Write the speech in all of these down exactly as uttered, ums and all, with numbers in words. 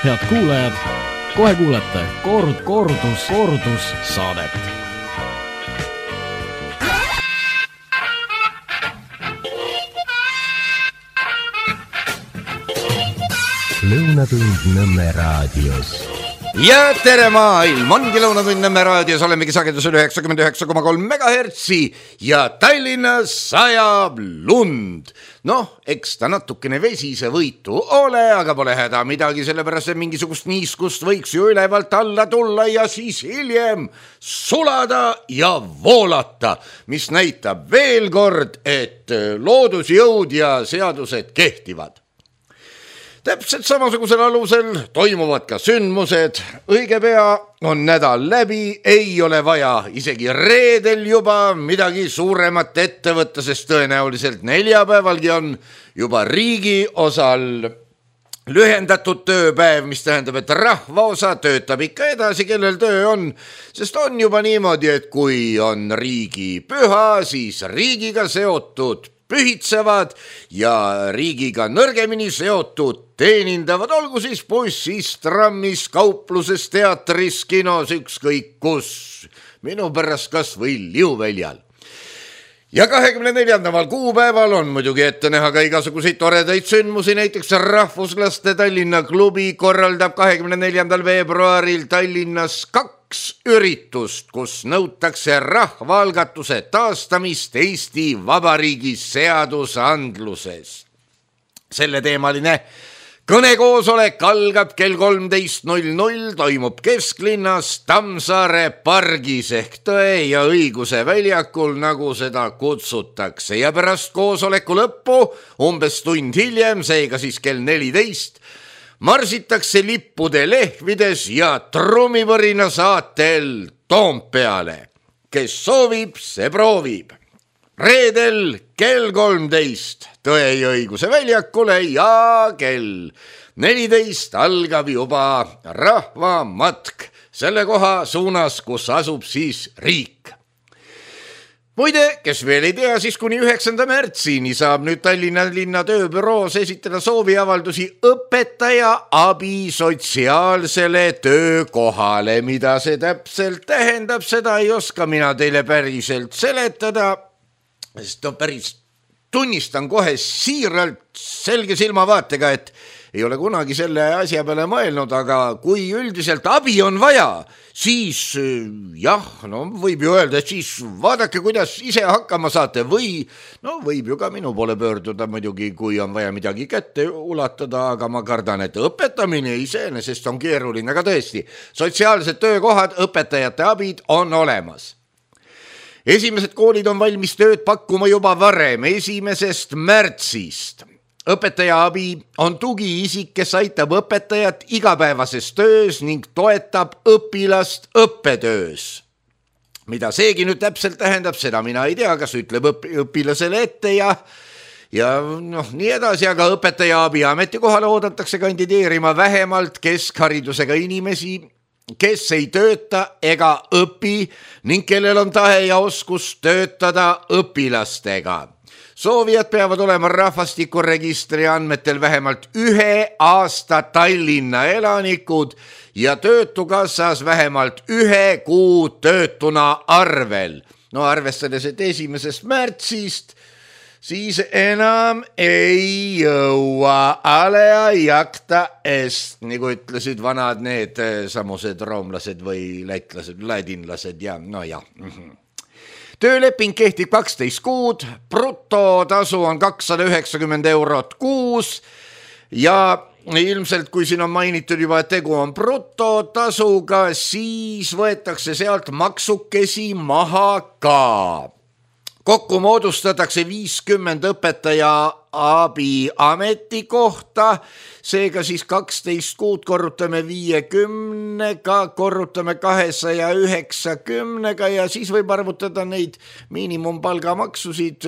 Head kuulajad, kohe kuulete kord, kordus, kordus saadet. Lõunatund Nõmme raadios. Ja tere maailm, ongi Lõunatund Nõmme raadios, olemegi sagedusel üheksakümmend üheksa koma kolm megahertsi ja Tallinnas sajab lund. Noh, eks ta natukene vesise võitu ole, aga pole häda midagi, sellepärast et mingisugust niiskust võiks ju ülevalt alla tulla ja siis hiljem sulada ja voolata, mis näitab veel kord, et loodusjõud ja seadused kehtivad. Täpselt samasugusel alusel toimuvad ka sündmused. Õige pea on nädal läbi, ei ole vaja isegi reedel juba midagi suuremat ette võtta, sest tõenäoliselt neljapäevalgi on juba riigi osal lühendatud tööpäev, mis tähendab, et rahvaosa töötab ikka edasi, kellel töö on, sest on juba niimoodi, et kui on riigi püha, siis riigiga seotud pühitsevad ja riigiga nõrgemini seotud teenindavad, olgu siis bussis, trammis, kaupluses, teatris, kinos, ükskõik kus, minu pärast kas või Liuväljal. Ja kahekümne neljandal kuupäeval on muidugi ette näha ka igasuguseid toredaid sündmusi, näiteks Rahvuslaste Tallinna klubi korraldab kahekümne neljandal veebruaril Tallinnas kaks üritust, kus nõutakse rahvaalgatuse taastamist Eesti Vabariigi seadusandluses. Selle teemaline kõnekoosolek algab kell kolmteist null null, toimub kesklinnas Tammsaare pargis ehk Tõe ja õiguse väljakul, nagu seda kutsutakse. Ja pärast koosoleku lõppu, umbes tund hiljem, seega siis kell neliteist, marsitakse lippude lehvides ja trummivõrina saatel Toompeale. Kes soovib, see proovib. Reedel kell kolmteist Tõe ja õiguse väljakule ja kell neliteist algab juba rahvamatk selle koha suunas, kus asub siis riik. Muide, kes veel ei tea, siis kuni üheksanda märtsini saab nüüd Tallinna linna tööbüroos esitada sooviavaldusi õpetaja abi sotsiaalsele töökohale. Mida see täpselt tähendab, seda ei oska mina teile päriselt seletada, sest on päris tunnistan kohe siiralt selge silmavaatega, et ei ole kunagi selle asja peale mõelnud, aga kui üldiselt abi on vaja, siis jah, no võib ju öelda, et siis vaadake, kuidas ise hakkama saate või no võib ju ka minu poole pöörduda muidugi, kui on vaja midagi kätte ulatada, aga ma kardan, et õpetamine iseenesest on keeruline, aga tõesti, sotsiaalsed töökohad, õpetajate abid on olemas. Esimesed koolid on valmis tööd pakkuma juba varem, esimesest märtsist. Õpetaja abi on tugiisik, kes aitab õpetajat igapäevases töös ning toetab õpilast õppetöös. Mida seegi nüüd täpselt tähendab, seda mina ei tea, kas ütleb õpilasele ette ja, ja noh, nii edasi, aga õpetaja abi ametikohale oodatakse kandideerima vähemalt keskharidusega inimesi, kes ei tööta ega õpi ning kellel on tahe ja oskus töötada õpilastega. Soovijad peavad olema rahvastikuregistri andmetel vähemalt ühe aasta Tallinna elanikud ja töötukassas vähemalt ühe kuu töötuna arvel. No arvestades, et esimesest märtsist siis enam ei jõua, alea jakta est, nagu ütlesid vanad need samused roomlased või lätlased, ladinlased ja no jah. Tööleping kehtib kaksteist kuud, brutotasu on kakssada üheksakümmend eurot kuus ja ilmselt kui siin on mainitud juba, et tegu on brutotasuga, siis võetakse sealt maksukesi maha ka. Kokku moodustatakse viiskümmend õpetaja abi ametikohta, seega siis kaksteist kuud korrutame viiekümnega, korrutame kahesaja üheksakümnega ja siis võib arvutada neid miinimumpalgamaksusid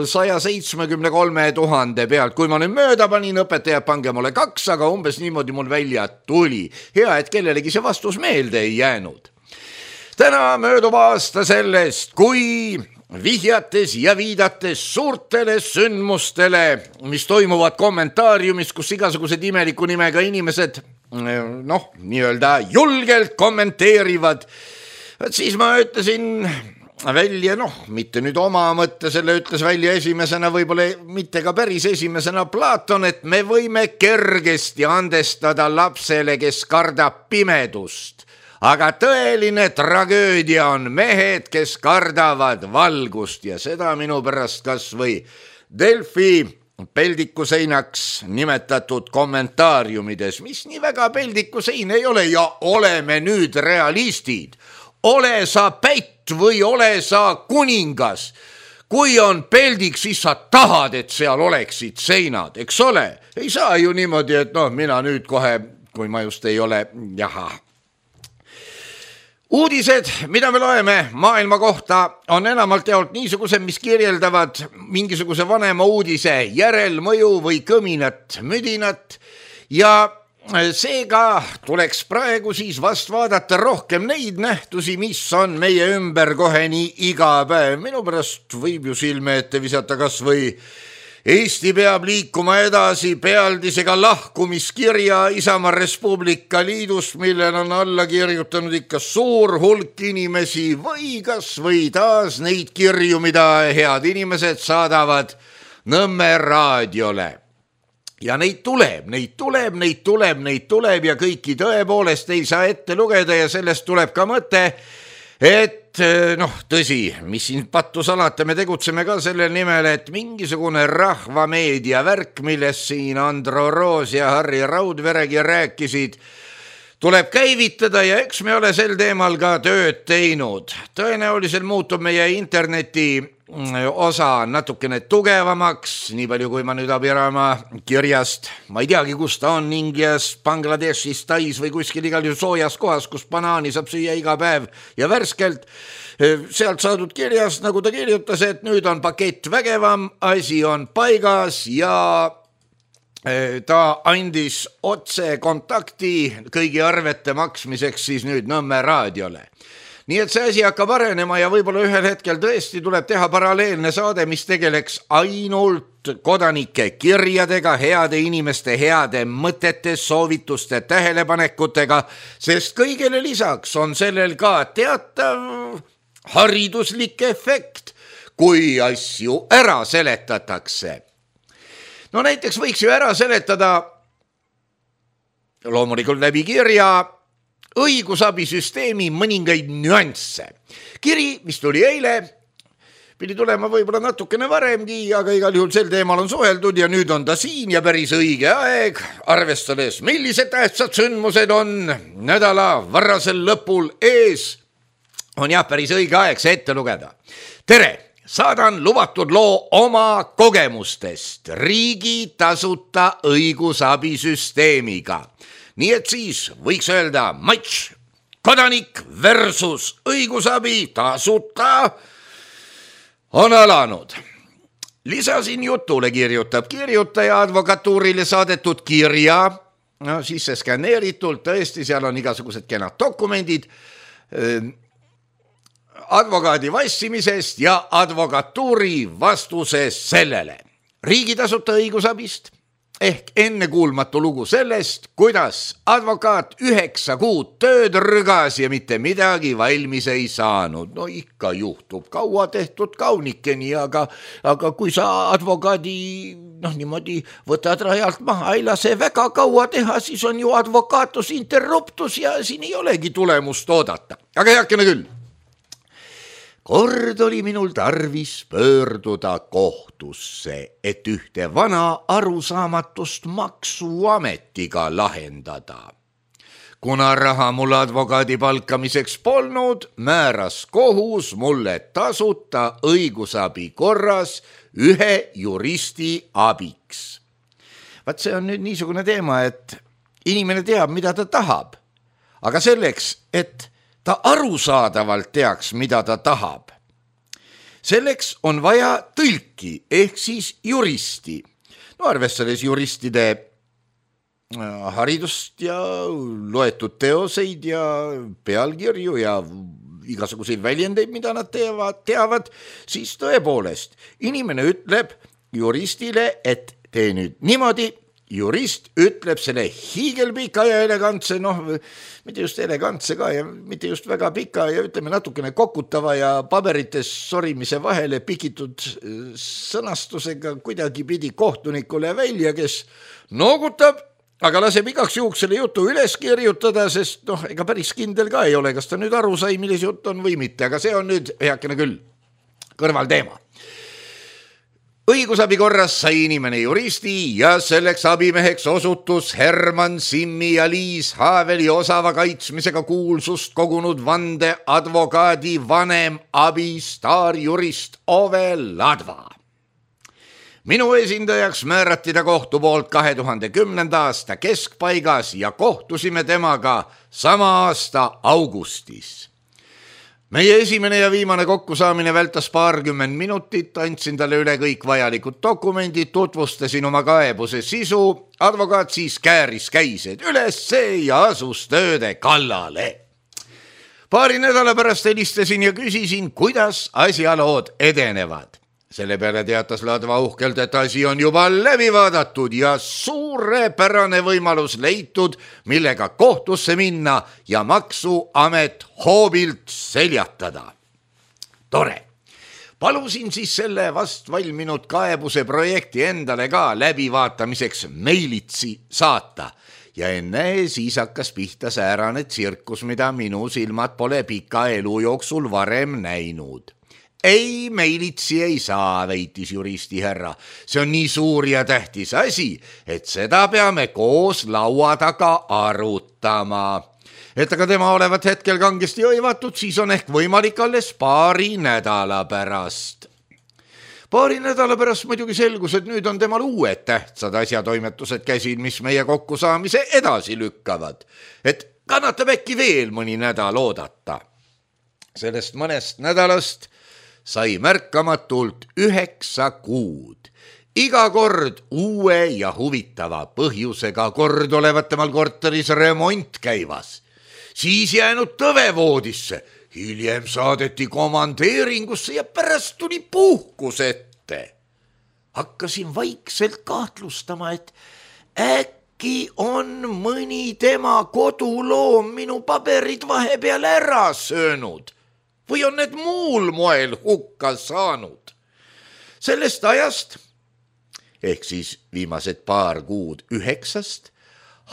saja seitsmekümne kolme tuhande pealt. Kui ma nüüd mööda panin, õpetajad, pange mulle kaks, aga umbes niimoodi mul välja tuli. Hea, et kellelegi see vastus meelde ei jäänud. Täna möödub aasta sellest, kui vihjates ja viidates suurtele sündmustele, mis toimuvad kommentaariumis, kus igasugused imeliku nimega inimesed noh, nii-öelda julgelt kommenteerivad. Siis ma ütlesin välja, noh, mitte nüüd oma mõtte, selle ütles välja esimesena, võib-olla mitte ka päris esimesena Platon, et me võime kergesti andestada lapsele, kes kardab pimedust. Aga tõeline tragöödia on mehed, kes kardavad valgust ja seda minu pärast kas või Delfi peldikuseinaks nimetatud kommentaariumides, mis nii väga peldikusein ei ole ja oleme nüüd realistid. Ole sa pätt või ole sa kuningas. Kui on peldik, siis sa tahad, et seal oleksid seinad, eks ole? Ei saa ju niimoodi, et noh, mina nüüd kohe, kui ma just ei ole, jaha. Uudised, mida me loeme maailma kohta, on enamalt jaolt niisugused, mis kirjeldavad mingisuguse vanema uudise järelmõju või kõminat, müdinat ja seega tuleks praegu siis vast vaadata rohkem neid nähtusi, mis on meie ümber kohe nii iga päev. Minu pärast võib ju silme ette visata kas või Eesti peab liikuma edasi pealdisega lahkumiskirja Isamaa Respublika Liidust, millel on alla kirjutanud ikka suur hulk inimesi või kas või taas neid kirju, mida head inimesed saadavad Nõmme raadiole. Ja neid tuleb, neid tuleb, neid tuleb, neid tuleb ja kõiki tõepoolest ei saa ette lugeda ja sellest tuleb ka mõte, et noh, tõsi, mis siin pattu salata, me tegutseme ka sellel nimel, et mingisugune rahvameedia värk, millest siin Andro Roos ja Harri Raudveregi rääkisid, tuleb käivitada ja eks me ole sel teemal ka tööd teinud. Tõenäoliselt muutub meie interneti osa natukene tugevamaks, nii palju kui ma nüüd abirama kirjast, ma ei teagi, kus ta on, Indias, Bangladeshis, Tais või kuskil igal juhul soojas kohas, kus banaani saab süüa iga päev ja värskelt. Sealt saadud kirjast, nagu ta kirjutas, et nüüd on pakett vägevam, asi on paigas ja ta andis otse kontakti kõigi arvete maksmiseks siis nüüd Nõmme raadiole. Nii et see asi hakkab arenema ja võib-olla ühel hetkel tõesti tuleb teha paralleelne saade, mis tegeleks ainult kodanike kirjadega, heade inimeste heade mõtete, soovituste, tähelepanekutega, sest kõigele lisaks on sellel ka teatav hariduslik efekt, kui asju ära seletatakse. No näiteks võiks ju ära seletada loomulikult läbi kirja õigusabisüsteemi mõningaid nüansse. Kiri, mis tuli eile, pidi tulema võib-olla natukene varemgi, aga igal juhul sel teemal on suheldud ja nüüd on ta siin ja päris õige aeg, arvestades, millised tähtsad sündmused on nädala varasel lõpul ees, on jah päris õige aeg see ette lugeda. Tere! Saadan lubatud loo oma kogemustest riigi tasuta õigusabisüsteemiga. Nii et siis võiks öelda matš, kodanik versus õigusabi tasuta on alanud. Lisasin jutule, kirjutab kirjutaja advokatuurile saadetud kirja, no siis see skanneeritult, tõesti seal on igasugused kenad dokumendid, advokaadi vassimisest ja advokatuuri vastusest sellele. Riigi tasuta õigusabist ehk ennekuulmatu lugu sellest, kuidas advokaat üheksa kuud tööd rügas ja mitte midagi valmis ei saanud. No ikka juhtub, kaua tehtud kaunikeni, aga, aga kui sa advokaadi noh, niimoodi võtad rajalt maha, ei lase väga kaua teha, siis on ju advokaatus interruptus ja siin ei olegi tulemust oodata. Aga heakene küll. Kord oli minul tarvis pöörduda kohtusse, et ühte vana arusaamatust maksuametiga lahendada. Kuna raha mul advokaadi palkamiseks polnud, määras kohus mulle tasuta õigusabi korras ühe juristi abiks. Vaat see on nüüd niisugune teema, et inimene teab, mida ta tahab, aga selleks, et ta arusaadavalt teaks, mida ta tahab. Selleks on vaja tõlki ehk siis juristi. No arvestades juristide haridust ja loetud teoseid ja pealkirju ja igasuguseid väljendeid, mida nad teevad, teavad, siis tõepoolest inimene ütleb juristile, et tee nüüd niimoodi, jurist ütleb selle hiigelpika ja elegantse, noh, mitte just elegantse ka ja mitte just väga pika ja ütleme natukene kokutava ja paberites sorimise vahele pikitud sõnastusega kuidagi pidi kohtunikule välja, kes noogutab, aga laseb igaks juhuks selle jutu üles kirjutada, sest noh, ega päris kindel ka ei ole, kas ta nüüd aru sai, milles jutt on või mitte, aga see on nüüd heakene küll kõrvalteema. Õigusabi korras sai inimene juristi ja selleks abimeheks osutus Herman Simmi ja Liis Haaveli osava kaitsmisega kuulsust kogunud vande advokaadi vanem abi staarjurist Ove Ladva. Minu esindajaks määrati ta kohtu poolt kahe tuhande kümnenda aasta keskpaigas ja kohtusime temaga sama aasta augustis. Meie esimene ja viimane kokkusaamine vältas paarkümmend minutit, andsin talle üle kõik vajalikud dokumendid, tutvustasin oma kaebuse sisu, advokaat siis kääris käised ülesse ja asus tööde kallale. Paari nädala pärast helistasin ja küsisin, kuidas asjalood edenevad. Selle peale teatas Ladva uhkelt, et asi on juba läbi vaadatud ja suurepärane võimalus leitud, millega kohtusse minna ja maksuamet hoobilt seljatada. Tore. Palusin siis selle vast valminud kaebuse projekti endale ka läbivaatamiseks meilitsi saata. Ja enne siis hakkas pihta säärane tsirkus, mida minu silmad pole pika elu jooksul varem näinud. Ei, meilitsi ei saa, väitis juristi härra. See on nii suur ja tähtis asi, et seda peame koos laua taga arutama. Et aga tema olevat hetkel kangesti õivatud, siis on ehk võimalik alles paari nädala pärast. Paari nädala pärast muidugi selgus, et nüüd on temal uued tähtsad asjatoimetused käsil, mis meie kokkusaamise edasi lükkavad. Et kannatab äkki veel mõni nädal oodata. Sellest mõnest nädalast sai märkamatult üheksa kuud. Iga kord uue ja huvitava põhjusega, kord olevat temal korteris remont käivas. Siis jäänud tõvevoodisse, hiljem saadeti komandeeringusse ja pärast tuli puhkus ette. Hakkasin vaikselt kahtlustama, et äkki on mõni tema koduloom minu paberid vahepeal ära söönud. Või on need muul moel hukka saanud. Sellest ajast, ehk siis viimased paar kuud üheksast,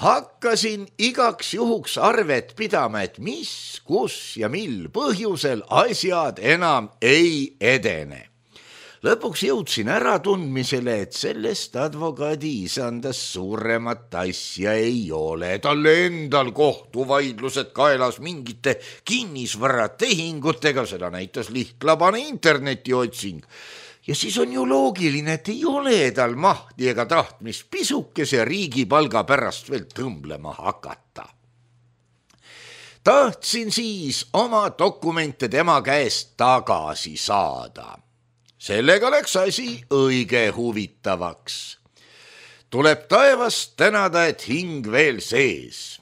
hakkasin igaks juhuks arvet pidama, et mis, kus ja mil põhjusel asjad enam ei edene. Lõpuks jõudsin ära tundmisele, et sellest advokaadi isandas suuremat asja ei ole. Talle endal kohtuvaidlused kaelas mingite kinnisvaratehingutega, seda näitas lihtlabane internetiotsing. Ja siis on ju loogiline, et ei ole tal mahti ega tahtmist pisukese riigipalga pärast veel tõmblema hakata. Tahtsin siis oma dokumente tema käest tagasi saada. Sellega läks asi õige huvitavaks. Tuleb taevast tänada, et hing veel sees.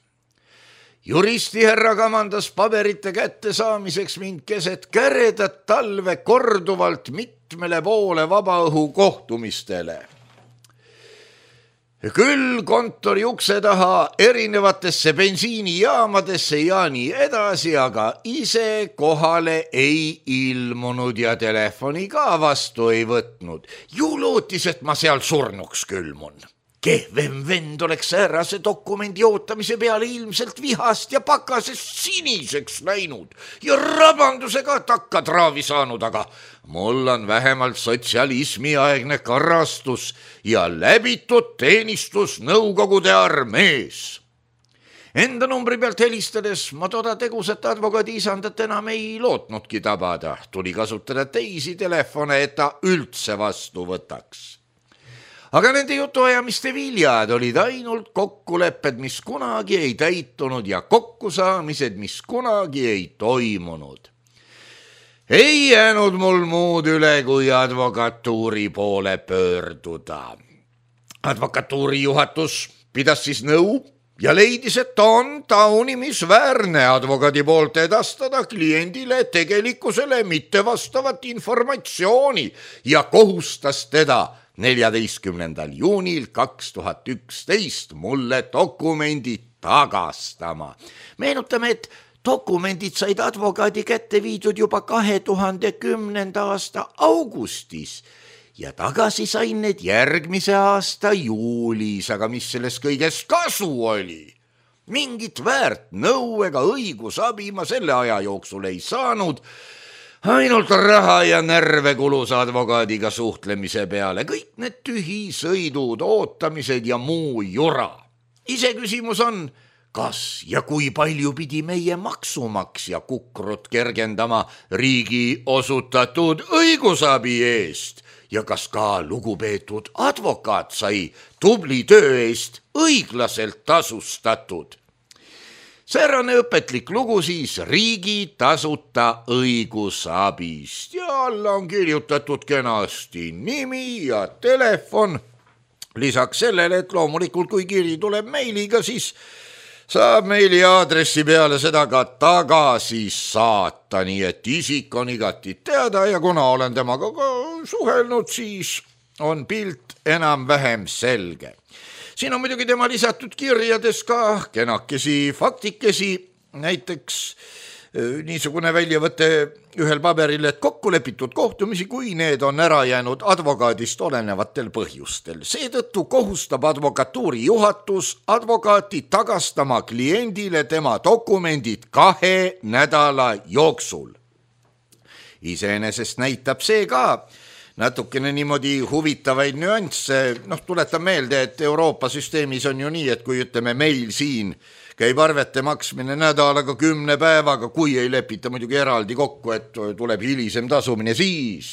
Juristi härra kamandas paberite kätte saamiseks mind keset käredat talve korduvalt mitmele poole vabaõhu kohtumistele. Küll kontori ukse taha erinevatesse bensiinijaamadesse ja nii edasi, aga ise kohale ei ilmunud ja telefoni ka vastu ei võtnud. Ju lootis, et ma seal surnuks külmun. Kehvem vend oleks säärase dokumendi ootamise peale ilmselt vihast ja pakasest siniseks läinud ja rabandusega takkatraavi saanud, aga mul on vähemalt sotsialismi aegne karastus ja läbitud teenistus Nõukogude armees. Enda numbri pealt helistades ma toda tegusat advokaadi isandat enam ei lootnudki tabada. Tuli kasutada teisi telefone, et ta üldse vastu võtaks. Aga nende jutuajamiste viljad olid ainult kokkulepped, mis kunagi ei täitunud ja kokkusaamised, mis kunagi ei toimunud. Ei jäänud mul muud üle, kui advokatuuri poole pöörduda. Advokatuuri juhatus pidas siis nõu ja leidis, et on taunimisväärne advokaadi poolt edastada kliendile tegelikkusele mittevastavat informatsiooni ja kohustas teda neljateistkümnendal juunil kaks tuhat üksteist mulle dokumendid tagastama. Meenutame, et dokumendid said advokaadi kätte viidud juba kahe tuhande kümnenda aasta augustis ja tagasi sain need järgmise aasta juulis, aga mis sellest kõigest kasu oli? Mingit väärt nõu ega õigusabi ma selle aja jooksul ei saanud, ainult raha ja närve kulus advokaadiga suhtlemise peale, kõik need tühisõidud, ootamised ja muu jura. Ise küsimus on, kas ja kui palju pidi meie maksumaksja kukrut kergendama riigi osutatud õigusabi eest ja kas ka lugupeetud advokaat sai tubli töö eest õiglaselt tasustatud. Säärane õpetlik lugu siis riigi tasuta õigusabist ja alla on kirjutatud kenasti nimi ja telefon. Lisaks sellele, et loomulikult kui kiri tuleb meiliga, siis saab meili aadressi peale seda ka tagasi saata, nii et isik on igati teada ja kuna olen temaga ka suhelnud, siis on pilt enam-vähem selge. Siin on muidugi tema lisatud kirjades ka kenakesi faktikesi, näiteks niisugune väljavõte ühel paberil, et kokku lepitud kohtumisi, kui need on ära jäänud advokaadist olenevatel põhjustel. Seetõttu kohustab advokatuuri juhatus advokaati tagastama kliendile tema dokumendid kahe nädala jooksul. Iseenesest näitab see ka natukene niimoodi huvitavaid nüansse. Noh, tuletan meelde, et Euroopa süsteemis on ju nii, et kui ütleme meil siin käib arvete maksmine nädalaga kümne päevaga, kui ei lepita muidugi eraldi kokku, et tuleb hilisem tasumine, siis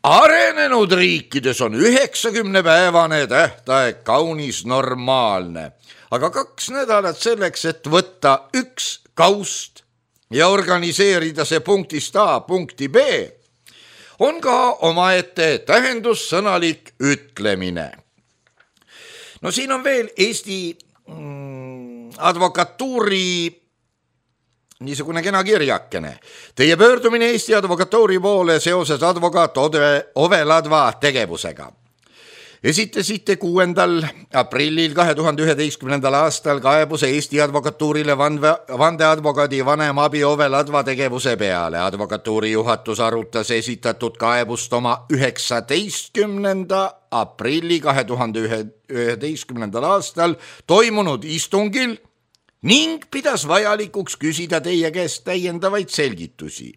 arenenud riikides on üheksakümne päevane tähtaeg kaunis normaalne. Aga kaks nädalat selleks, et võtta üks kaust ja organiseerida see punktist A punkti B, on ka omaette tähendussõnalik ütlemine. No siin on veel Eesti advokatuuri niisugune kena kirjakene. Teie pöördumine Eesti advokatuuri poole seoses advokaat Ove Ladva tegevusega. Esitasite kuuendal aprillil kahe tuhande üheteistkümnendal aastal kaebuse Eesti advokatuurile vandeadvokaadi vanem abi Ove Ladva tegevuse peale. Advokatuuri juhatus arutas esitatud kaebust oma üheksateistkümnenda aprilli kahe tuhande üheteistkümnendal aastal toimunud istungil ning pidas vajalikuks küsida teie käest täiendavaid selgitusi.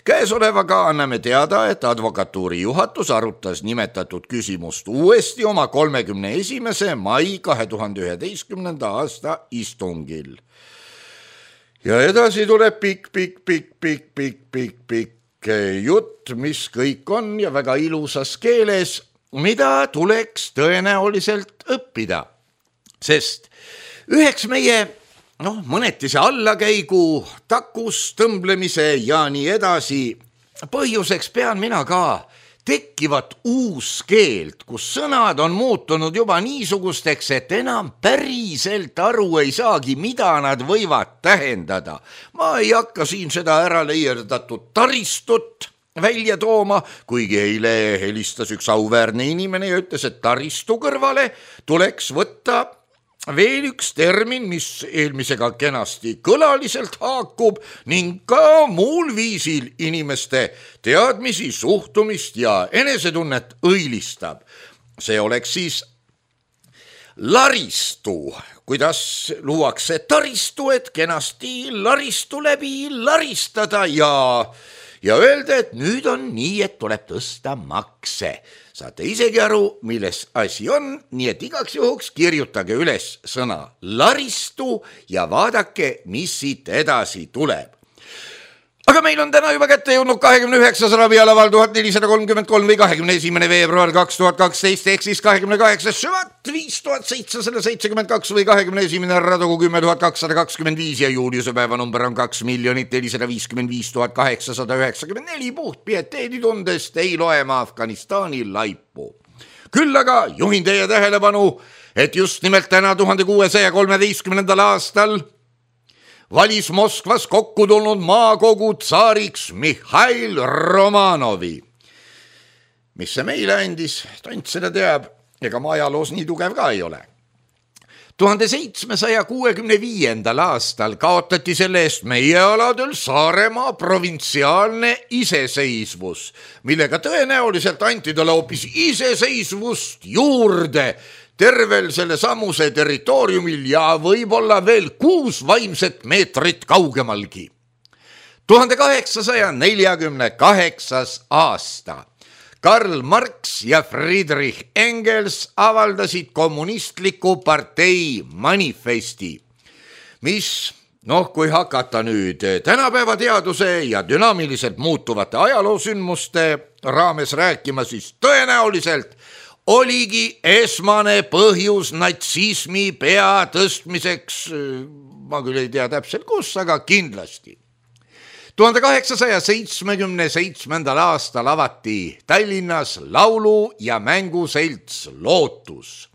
Käesolevaga anname teada, et advokatuuri juhatus arutas nimetatud küsimust uuesti oma kolmekümne esimese mai kahe tuhande üheteistkümnenda aasta istungil. Ja edasi tuleb pikk, pikk, pikk, pikk, pikk, pikk, pikk jutt, mis kõik on ja väga ilusas keeles, mida tuleks tõenäoliselt õppida. Sest üheks meie noh, mõneti see allakäigu, takus, tõmblemise ja nii edasi. Põhjuseks pean mina ka tekkivat uus keelt, kus sõnad on muutunud juba niisugusteks, et enam päriselt aru ei saagi, mida nad võivad tähendada. Ma ei hakka siin seda ära leierdatud taristut välja tooma, kuigi eile helistas üks auväärne inimene ja ütles, et taristu kõrvale tuleks võtta veel üks termin, mis eelmisega kenasti kõlaliselt haakub ning ka muul viisil inimeste teadmisi, suhtumist ja enesetunnet õilistab. See oleks siis laristu, kuidas luuakse taristu, et kenasti laristu läbi laristada ja, ja öelda, et nüüd on nii, et tuleb tõsta makse. Saate isegi aru, milles asi on, nii et igaks juhuks kirjutage üles sõna laristu ja vaadake, mis siit edasi tuleb. Aga meil on täna juba kätte jõudnud kahekümne üheksas ravialaval tuhat nelisada kolmkümmend kolm või kahekümne esimene veebruar kaks tuhat kaksteist ehk siis kahekümne kaheksas süvat viis tuhat seitsesada seitsekümmend kaks või kahekümne esimene radugu kümme tuhat kakssada kakskümmend viis ja juuliuse päeva number on kaks miljonit nelisada viiskümmend viis tuhat kaheksasada üheksakümmend neli. Puht pieteedi tundest ei loe ma Afganistani laipu. Küll aga juhin teie tähelepanu, et just nimelt täna tuhande kuuesaja kolmeteistkümnendal aastal valis Moskvas kokku tulnud maakogu tsaariks Mihhail Romanovi. Mis see meile andis, tont seda teab, ega ma ajaloos nii tugev ka ei ole. tuhande seitsmesaja kuuekümne viiendal aastal kaotati selle eest meie aladel Saaremaa provintsiaalne iseseisvus, millega tõenäoliselt anti talle hoopis iseseisvust juurde tervel selle samuse territooriumil ja võib-olla veel kuus vaimset meetrit kaugemalgi. tuhande kaheksasaja neljakümne kaheksas aasta Karl Marx ja Friedrich Engels avaldasid kommunistliku partei manifesti, mis, noh, kui hakata nüüd tänapäeva teaduse ja dünaamiliselt muutuvate ajaloosündmuste raames rääkima, siis tõenäoliselt oligi esmane põhjus natsismi pea tõstmiseks, ma küll ei tea täpselt kus, aga kindlasti. tuhande kaheksasaja seitsmekümne seitsmendal aastal avati Tallinnas laulu- ja mänguselts Lootus.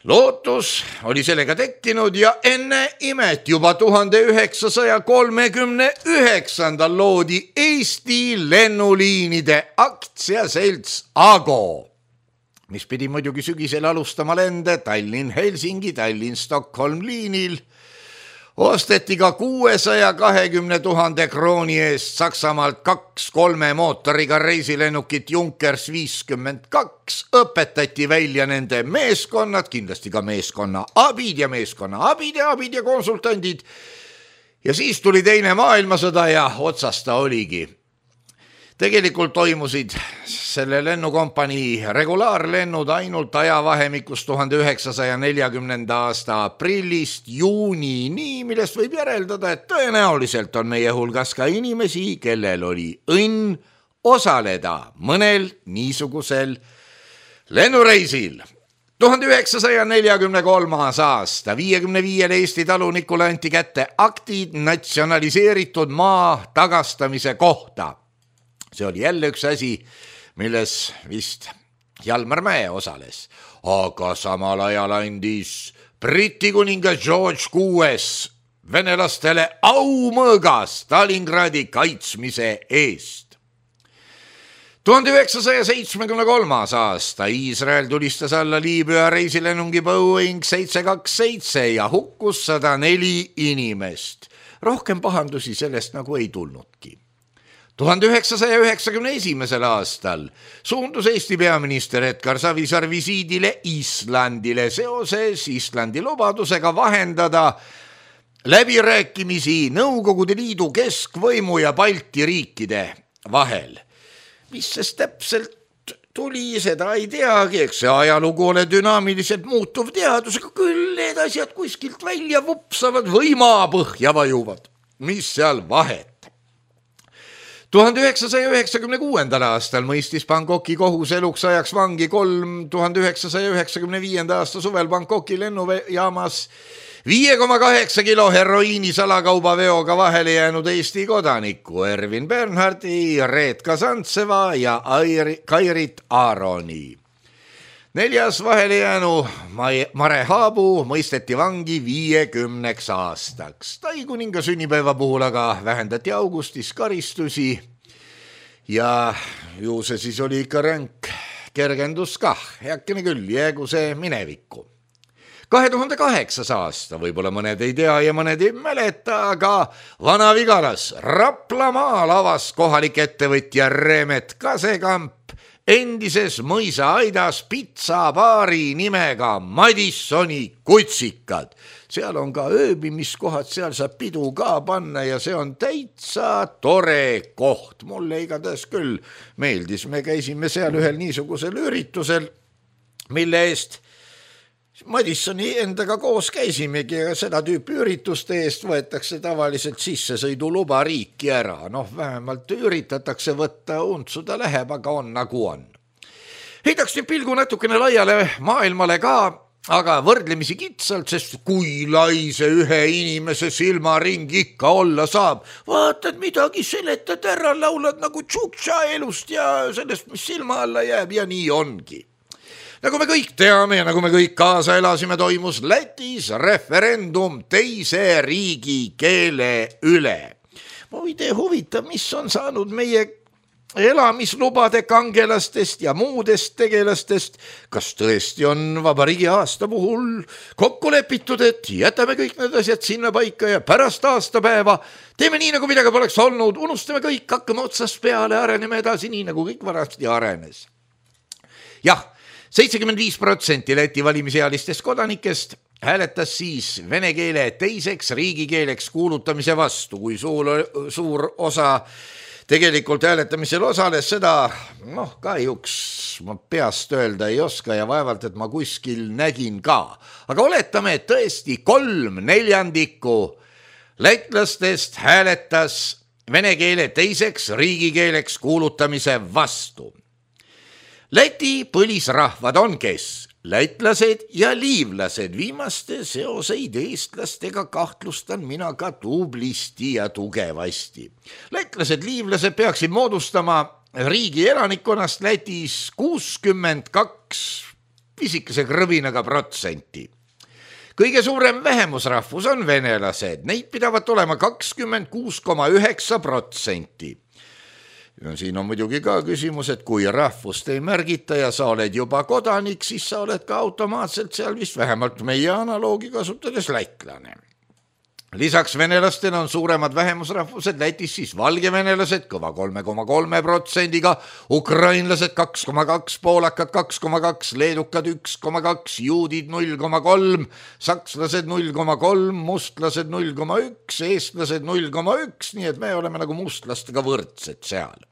Lootus oli sellega tekkinud ja enne imet juba tuhande üheksasaja kolmekümne üheksandal loodi Eesti lennuliinide aktsiaselts Ago, mis pidi muidugi sügisel alustama lende Tallinn-Helsingi, Tallinn-Stockholm liinil. Osteti ka kuuesaja kahekümne tuhande krooni eest Saksamaalt kaks kolme mootoriga reisilennukit Junkers viiskümmend kaks, õpetati välja nende meeskonnad, kindlasti ka meeskonna abid ja meeskonna abid ja abid ja konsultandid. Ja siis tuli teine maailmasõda ja otsas ta oligi. Tegelikult toimusid selle lennukompanii regulaarlennud ainult ajavahemikus tuhande üheksasaja neljakümnenda aasta aprillist juunini, millest võib järeldada, et tõenäoliselt on meie hulgas ka inimesi, kellel oli õnn osaleda mõnel niisugusel lennureisil. tuhande üheksasaja neljakümne kolmas aasta viiekümne viiele Eesti talunikule anti kätte aktid natsionaliseeritud maa tagastamise kohta. See oli jälle üks asi, milles vist Jalmar Mäe osales, aga samal ajal andis Briti kuningas George kuues venelastele aumõõga Stalingradi kaitsmise eest. tuhande üheksasaja seitsmekümne kolmas aasta Iisrael tulistas alla Liibüa reisilennungi Boeing seitse kaks seitse ja hukkus sada neli inimest. Rohkem pahandusi sellest nagu ei tulnudki. tuhande üheksasaja üheksakümne esimesel aastal suundus Eesti peaminister Edgar Savisaar visiidile Islandile seoses Islandi lubadusega vahendada läbirääkimisi Nõukogude Liidu keskvõimu ja Balti riikide vahel. Mis sest täpselt tuli, seda ei teagi, eks see ajalugu ole dünaamiliselt muutuv teadus, aga küll need asjad kuskilt välja vupsavad või maapõhja vajuvad. Mis seal vahet? tuhande üheksasaja üheksakümne kuuendal aastal mõistis Bangkoki kohus eluks ajaks vangi kolm tuhande üheksasaja üheksakümne viienda aasta suvel Bangkoki lennujaamas viie koma kaheksa kilo heroiini salakauba veoga vahele jäänud Eesti kodaniku Ervin Bernhardi, Reet Kasantseva ja Kairit Aaroni. Neljas vahele jäänu Mare Haabu mõisteti vangi viiekümneks aastaks. Tai kuninga sünnipäeva puhul aga vähendati augustis karistusi ja ju see siis oli ikka ränk kergendus kah, heakene küll, jäägu see minevikku. kahe tuhande kaheksas aasta, võib-olla mõned ei tea ja mõned ei mäleta, aga Vana-Vigalas Raplamaal avas kohalik ettevõtja Remet Kasekamp endises mõisaaidas pitsabaari nimega Madissoni kutsikad. Seal on ka ööbimiskohad, seal saab pidu ka panna ja see on täitsa tore koht. Mulle igatahes küll meeldis, me käisime seal ühel niisugusel üritusel, mille eest Madissoni endaga koos käisimegi ja seda tüüpi ürituste eest võetakse tavaliselt sissesõiduluba riiki ära. Noh, vähemalt üritatakse võtta, untsuda läheb, aga on nagu on. Heidaks nüüd pilgu natukene laiale maailmale ka, aga võrdlemisi kitsalt, sest kui lai see ühe inimese silmaring ikka olla saab. Vaatad midagi, seletad ära, laulad nagu tšuktša elust ja sellest, mis silma alla jääb ja nii ongi. nagu me kõik teame ja nagu me kõik kaasa elasime, toimus Lätis referendum teise riigikeele üle. Muide huvitav, mis on saanud meie elamislubade kangelastest ja muudest tegelastest, kas tõesti on vabariigi aasta puhul kokku lepitud, et jätame kõik need asjad sinna paika ja pärast aastapäeva teeme nii, nagu midagi poleks olnud, unustame kõik, hakkame otsast peale, areneme edasi nii, nagu kõik varasti arenes. Jah, seitsekümmend viis protsenti Läti valimisealistest kodanikest hääletas siis vene keele teiseks riigikeeleks kuulutamise vastu, kui suur, suur osa tegelikult hääletamisel osales, seda noh, kahjuks ma peast öelda ei oska ja vaevalt, et ma kuskil nägin ka. Aga oletame, et tõesti kolm neljandikku lätlastest hääletas vene keele teiseks riigikeeleks kuulutamise vastu. Läti põlisrahvad on kes? Lätlased ja liivlased, viimaste seoseid eestlastega kahtlustan mina ka tublisti ja tugevasti. Lätlased, liivlased peaksid moodustama riigi elanikkonnast Lätis kuuskümmend kaks pisikese krõbinaga protsenti. Kõige suurem vähemusrahvus on venelased, neid pidavat olema kakskümmend kuus koma üheksa protsenti. Ja siin on muidugi ka küsimus, et kui rahvust ei märgita ja sa oled juba kodanik, siis sa oled ka automaatselt seal vist vähemalt meie analoogi kasutades lätlane. Lisaks venelastena on suuremad vähemusrahvused Lätis siis valgevenelased kõva kolme koma kolme protsendiga, ukrainlased kaks koma kaks, poolakad kaks koma kaks, leedukad üks koma kaks, juudid null koma kolm, sakslased null koma kolm, mustlased null koma üks, eestlased null koma üks, nii et me oleme nagu mustlastega võrdsed seal.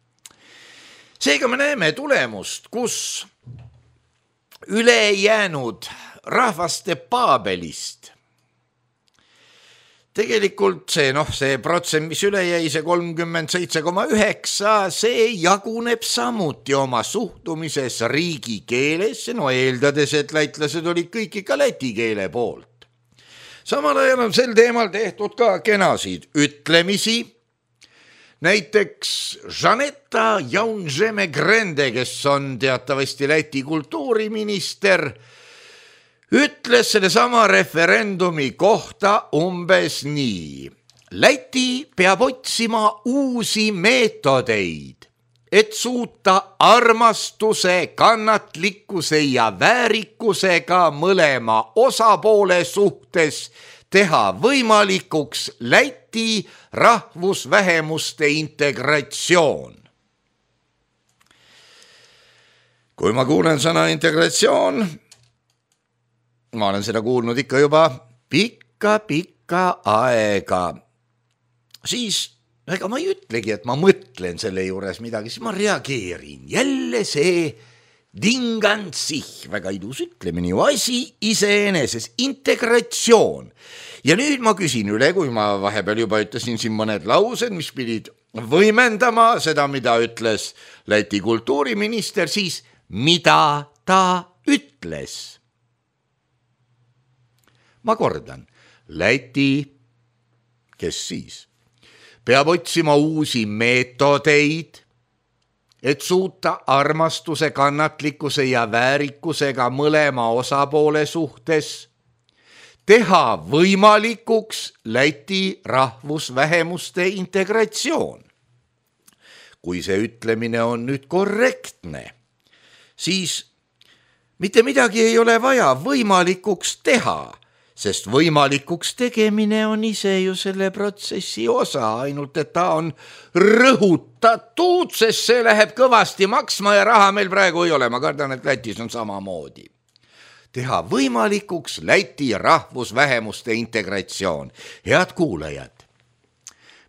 Seega me näeme tulemust, kus ülejäänud rahvaste paabelist tegelikult see, noh, see protsent, mis üle jäi, see kolmkümmend seitse koma üheksa, see jaguneb samuti oma suhtumises riigikeelesse, no eeldades, et lätlased olid kõik ikka läti keele poolt. Samal ajal on sel teemal tehtud ka kenasid ütlemisi. Näiteks Žaneta Jaunžeme-Grende, kes on teatavasti Läti kultuuriminister, ütles selle sama referendumi kohta umbes nii. Läti peab otsima uusi meetodeid, et suuta armastuse, kannatlikkuse ja väärikusega mõlema osapoole suhtes teha võimalikuks Läti rahvusvähemuste integratsioon. Kui ma kuulen sõna integratsioon, ma olen seda kuulnud ikka juba pikka-pikka aega. Siis, ega ma ei ütlegi, et ma mõtlen selle juures midagi, siis ma reageerin. Jälle see dingansih, väga idus ütlemine, asi iseeneses, integratsioon. Ja nüüd ma küsin üle, kui ma vahepeal juba ütlesin siin mõned laused, mis pidid võimendama seda, mida ütles Läti kultuuriminister, siis mida ta ütles. Ma kordan, Läti, kes siis, peab otsima uusi meetodeid, et suuta armastuse, kannatlikkuse ja väärikusega mõlema osapoole suhtes teha võimalikuks Läti rahvusvähemuste integratsioon. Kui see ütlemine on nüüd korrektne, siis mitte midagi ei ole vaja võimalikuks teha, sest võimalikuks tegemine on ise ju selle protsessi osa, ainult et ta on rõhutatud, sest see läheb kõvasti maksma ja raha meil praegu ei ole. Ma kardan, et Lätis on samamoodi. Teha võimalikuks Läti rahvusvähemuste integratsioon. Head kuulajad,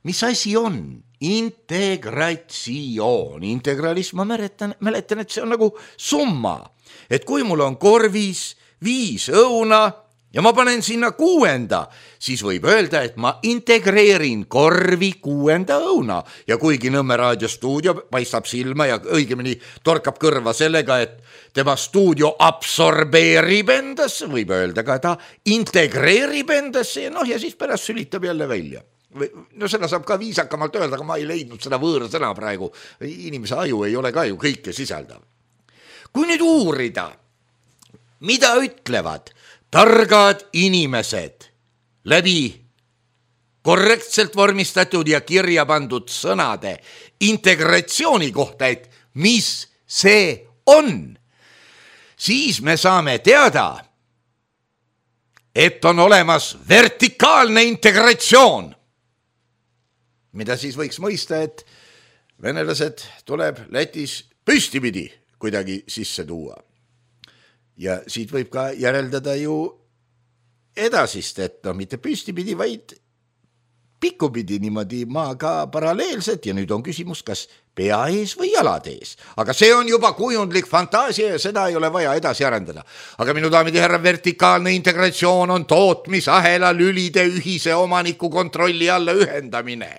mis asi on integratsioon? Integralism, ma mäletan, mäletan, et see on nagu summa, et kui mul on korvis viis õuna ja ma panen sinna kuuenda, siis võib öelda, et ma integreerin korvi kuuenda õuna. Ja kuigi Nõmme raadiostuudio paistab silma ja õigemini torkab kõrva sellega, et tema stuudio absorbeerib endasse, võib öelda ka ta integreerib endasse ja noh, ja siis pärast sülitab jälle välja. No seda saab ka viisakamalt öelda, aga ma ei leidnud seda võõrsõna praegu. Inimese aju ei ole ka ju kõike sisaldav. Kui nüüd uurida, mida ütlevad targad inimesed läbi korrektselt vormistatud ja kirja pandud sõnade integratsiooni kohta, et mis see on, siis me saame teada, et on olemas vertikaalne integratsioon, mida siis võiks mõista, et venelased tuleb Lätis püstipidi kuidagi sisse tuua. Ja siit võib ka järeldada ju edasist, et no mitte püstipidi, vaid pikkupidi niimoodi maaga paralleelselt ja nüüd on küsimus, kas pea ees või jalad ees. Aga see on juba kujundlik fantaasia ja seda ei ole vaja edasi arendada. Aga minu daamid ja härra, vertikaalne integratsioon on tootmisahela lülide ühise omaniku kontrolli alla ühendamine.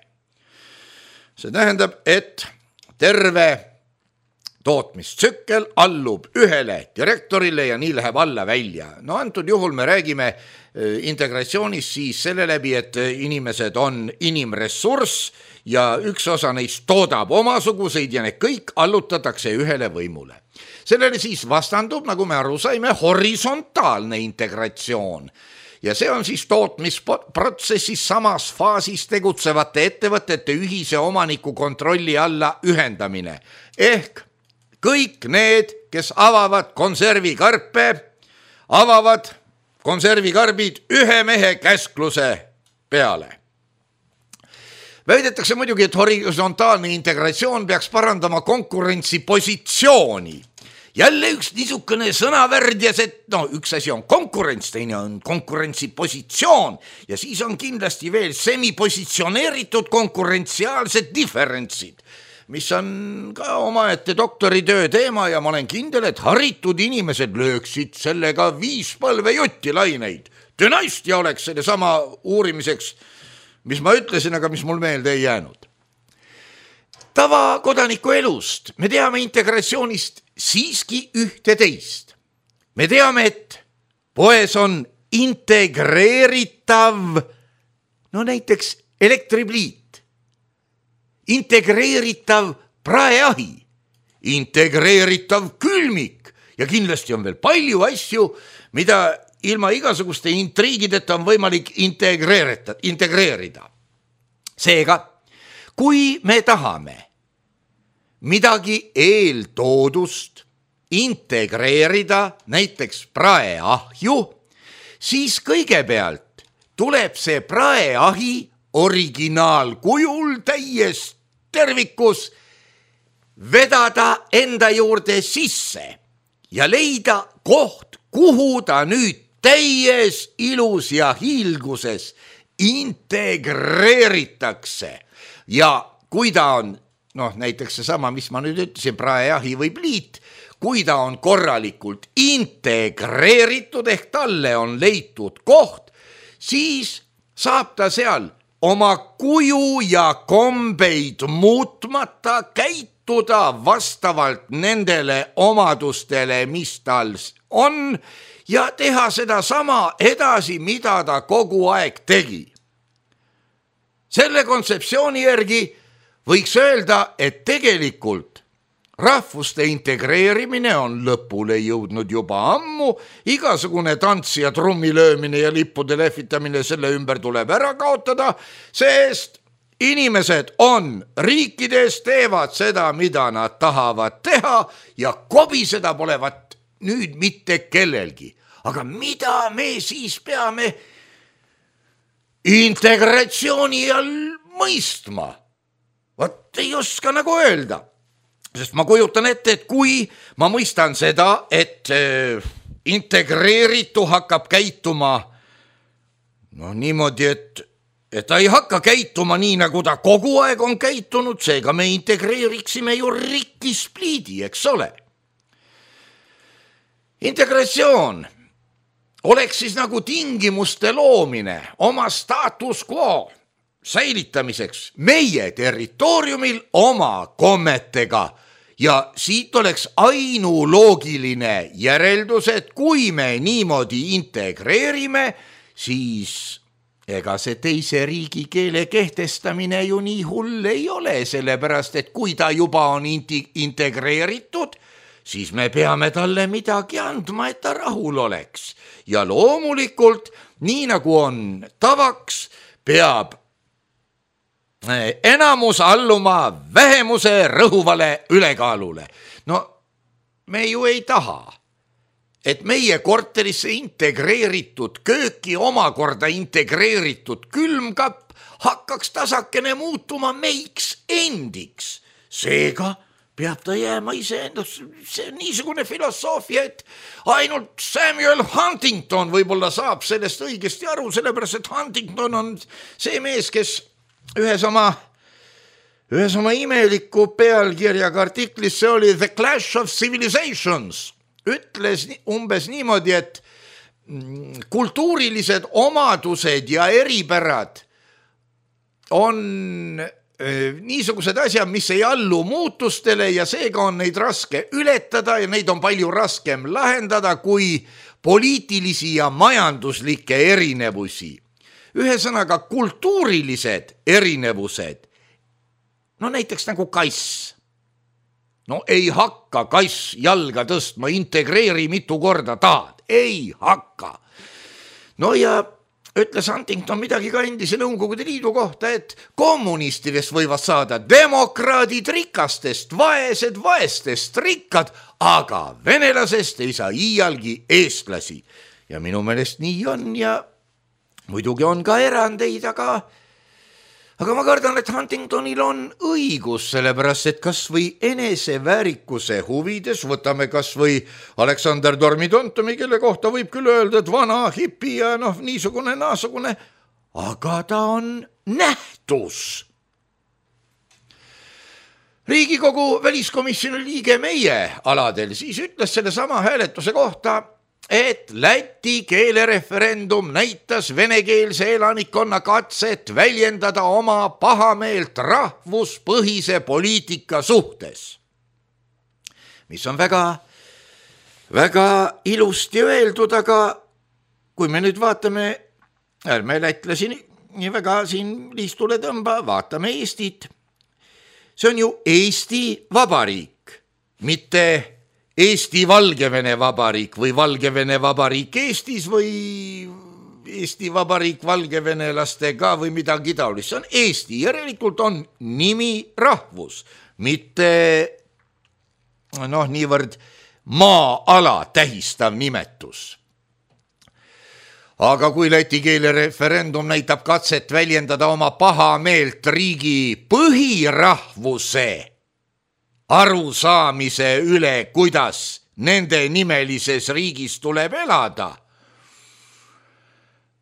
See tähendab, et terve tootmistsükkel allub ühele direktorile ja nii läheb alla välja. No antud juhul me räägime integratsioonis siis selle läbi, et inimesed on inimressurss ja üks osa neist toodab omasuguseid ja need kõik allutatakse ühele võimule. Sellele siis vastandub, nagu me aru saime, horisontaalne integratsioon. Ja see on siis tootmisprotsessis samas faasis tegutsevate ettevõtete ühise omaniku kontrolli alla ühendamine. Ehk kõik need, kes avavad konservikarpe, avavad konservikarbid ühe mehe käskluse peale. Väidetakse muidugi, et horisontaalne integratsioon peaks parandama konkurentsipositsiooni. Jälle üks niisugune sõnavärdias, et no üks asi on konkurents, teine on konkurentsipositsioon ja siis on kindlasti veel semipositsioneeritud konkurentsiaalsed diferentsid, mis on ka omaette doktoritöö teema ja ma olen kindel, et haritud inimesed lööksid sellega viis põlve jutti laineid. Dünastia oleks selle sama uurimiseks, mis ma ütlesin, aga mis mul meelde ei jäänud. Tava kodaniku elust me teame integratsioonist siiski ühte teist. Me teame, et poes on integreeritav, no näiteks elektripliit, integreeritav praeahi, integreeritav külmik ja kindlasti on veel palju asju, mida ilma igasuguste intriigideta on võimalik integreerida. integreerida. Seega, kui me tahame midagi eeltoodust integreerida, näiteks praeahju, siis kõigepealt tuleb see praeahi originaalkujul täies tervikus vedada enda juurde sisse ja leida koht, kuhu ta nüüd täies ilus ja hiilguses integreeritakse. Ja kui ta on, noh näiteks see sama, mis ma nüüd ütlesin, praeahi või pliit, kui ta on korralikult integreeritud ehk talle on leitud koht, siis saab ta seal oma kuju ja kombeid muutmata käituda vastavalt nendele omadustele, mis tal on, ja teha seda sama edasi, mida ta kogu aeg tegi. Selle kontseptsiooni järgi võiks öelda, et tegelikult rahvuste integreerimine on lõpule jõudnud juba ammu, igasugune tants ja trummilöömine ja lippude lehvitamine selle ümber tuleb ära kaotada, sest inimesed on riikides, teevad seda, mida nad tahavad teha ja kobiseda polevat nüüd mitte kellelgi. Aga mida me siis peame integratsiooni all mõistma? Vot ei oska nagu öelda. Sest ma kujutan ette, et kui ma mõistan seda, et integreeritu hakkab käituma no niimoodi, et, et ta ei hakka käituma nii, nagu ta kogu aeg on käitunud, seega me integreeriksime ju rikkispliidi, eks ole. Integratsioon oleks siis nagu tingimuste loomine oma status quo säilitamiseks meie territooriumil oma kommetega ja siit oleks ainuloogiline järeldus, et kui me niimoodi integreerime, siis ega see teise riigi keele kehtestamine ju nii hull ei ole, sellepärast et kui ta juba on integreeritud, siis me peame talle midagi andma, et ta rahul oleks. Ja loomulikult, nii nagu on tavaks, peab enamus alluma vähemuse rõhuvale ülekaalule. No me ju ei taha, et meie korterisse integreeritud kööki omakorda integreeritud külmkapp hakkaks tasakene muutuma meiks endiks. Seega peab ta jääma iseendas. See on niisugune filosoofia, et ainult Samuel Huntington võib-olla saab sellest õigesti aru, sellepärast et Huntington on see mees, kes ühes oma, ühes oma imeliku pealkirjaga artiklis, see oli The Clash of Civilizations, ütles umbes niimoodi, et kultuurilised omadused ja eripärad on niisugused asjad, mis ei allu muutustele ja seega on neid raske ületada ja neid on palju raskem lahendada kui poliitilisi ja majanduslikke erinevusi. Ühesõnaga kultuurilised erinevused, no näiteks nagu kass. No ei hakka kass jalga tõstma, integreeri mitu korda tahad, ei hakka. No ja ütles Huntington midagi ka endise Nõukogude Liidu kohta, et kommunistidest võivad saada demokraadid rikastest, vaesed vaestest rikkad, aga venelasest ei saa iialgi eestlasi. Ja minu meelest nii on ja muidugi on ka erandeid, aga, aga ma kardan, et Huntingtonil on õigus, sellepärast, et kas või eneseväärikuse huvides, võtame kas või Aleksander Dormitontomi, kelle kohta võib küll öelda, et vana hipi ja noh, niisugune naasugune, aga ta on nähtus. Riigikogu väliskomisjoni liige meie aladel siis ütles selle sama hääletuse kohta, et Läti keelereferendum näitas venekeelse elanikkonna katset väljendada oma pahameelt rahvuspõhise poliitika suhtes. Mis on väga, väga ilusti öeldud, aga kui me nüüd vaatame, ärme lätlasi nii väga siin liistule tõmba, vaatame Eestit. See on ju Eesti Vabariik, mitte Eesti-Valgevene Vabariik või Valgevene Vabariik Eestis või Eesti Vabariik valgevenelastega või midagi taolist. See on Eesti, järelikult on nimi rahvus, mitte noh, niivõrd maa-ala tähistav nimetus. Aga kui läti keele referendum näitab katset väljendada oma pahameelt riigi põhirahvuse arusaamise üle, kuidas nende nimelises riigis tuleb elada.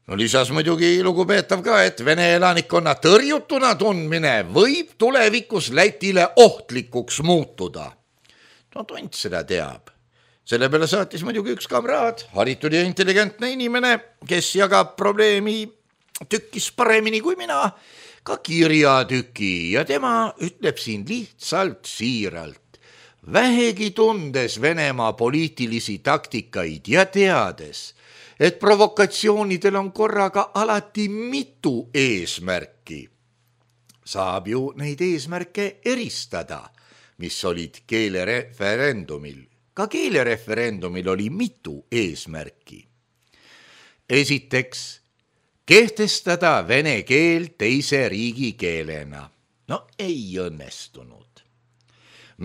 No lisas muidugi lugupeetav ka, et vene elanikkonna tõrjutuna tundmine võib tulevikus Lätile ohtlikuks muutuda. No tont seda teab. Selle peale saatis muidugi üks kamraad, haritud ja intelligentne inimene, kes jagab probleemi tükkis paremini kui mina, ka kirjatüki ja tema ütleb siin lihtsalt siiralt, vähegi tundes Venemaa poliitilisi taktikaid ja teades, et provokatsioonidel on korraga alati mitu eesmärki. Saab ju neid eesmärke eristada, mis olid keelereferendumil. Ka keelereferendumil oli mitu eesmärki. Esiteks, kehtestada vene keel teise riigikeelena. No ei õnnestunud.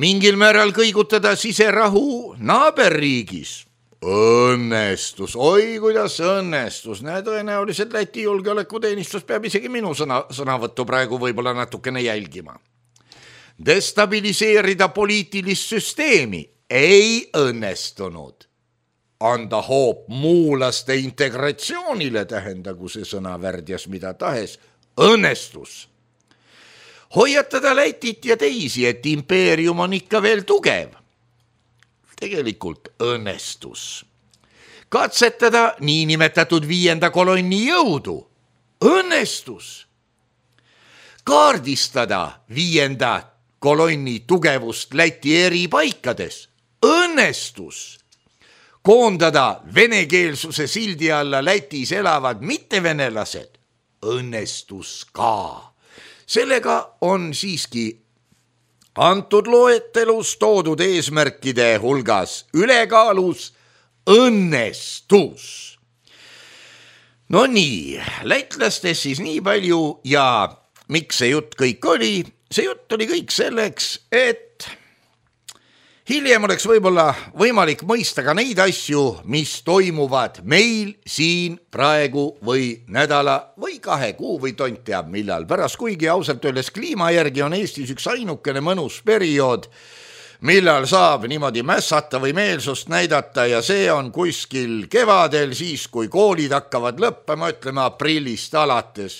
Mingil määral kõigutada siserahu naaberriigis. Õnnestus, oi kuidas õnnestus. Näe, tõenäoliselt Läti julgeolekuteenistus peab isegi minu sõna, sõnavõttu praegu võib-olla natukene jälgima. Destabiliseerida poliitilist süsteemi ei õnnestunud. Anda hoop muulaste integratsioonile, tähendagu see sõna värdjas mida tahes, õnnestus. Hoiatada Lätit ja teisi, et impeerium on ikka veel tugev. Tegelikult õnnestus. Katsetada niinimetatud viienda kolonni jõudu. Õnnestus. Kaardistada viienda kolonni tugevust Läti eri paikades. Õnnestus. Koondada venekeelsuse sildi alla Lätis elavad mittevenelased. Õnnestus ka. Sellega on siiski antud loetelus toodud eesmärkide hulgas ülekaalus õnnestus. No nii, lätlastest siis nii palju ja miks see jutt kõik oli? See jutt oli kõik selleks, et hiljem oleks võib-olla võimalik mõista ka neid asju, mis toimuvad meil siin praegu või nädala või kahe kuu või tont teab millal pärast, kuigi ausalt öeldes kliima järgi on Eestis üks ainukene mõnus periood, millal saab niimoodi mässata või meelsust näidata ja see on kuskil kevadel, siis kui koolid hakkavad lõppema, ütleme aprillist alates.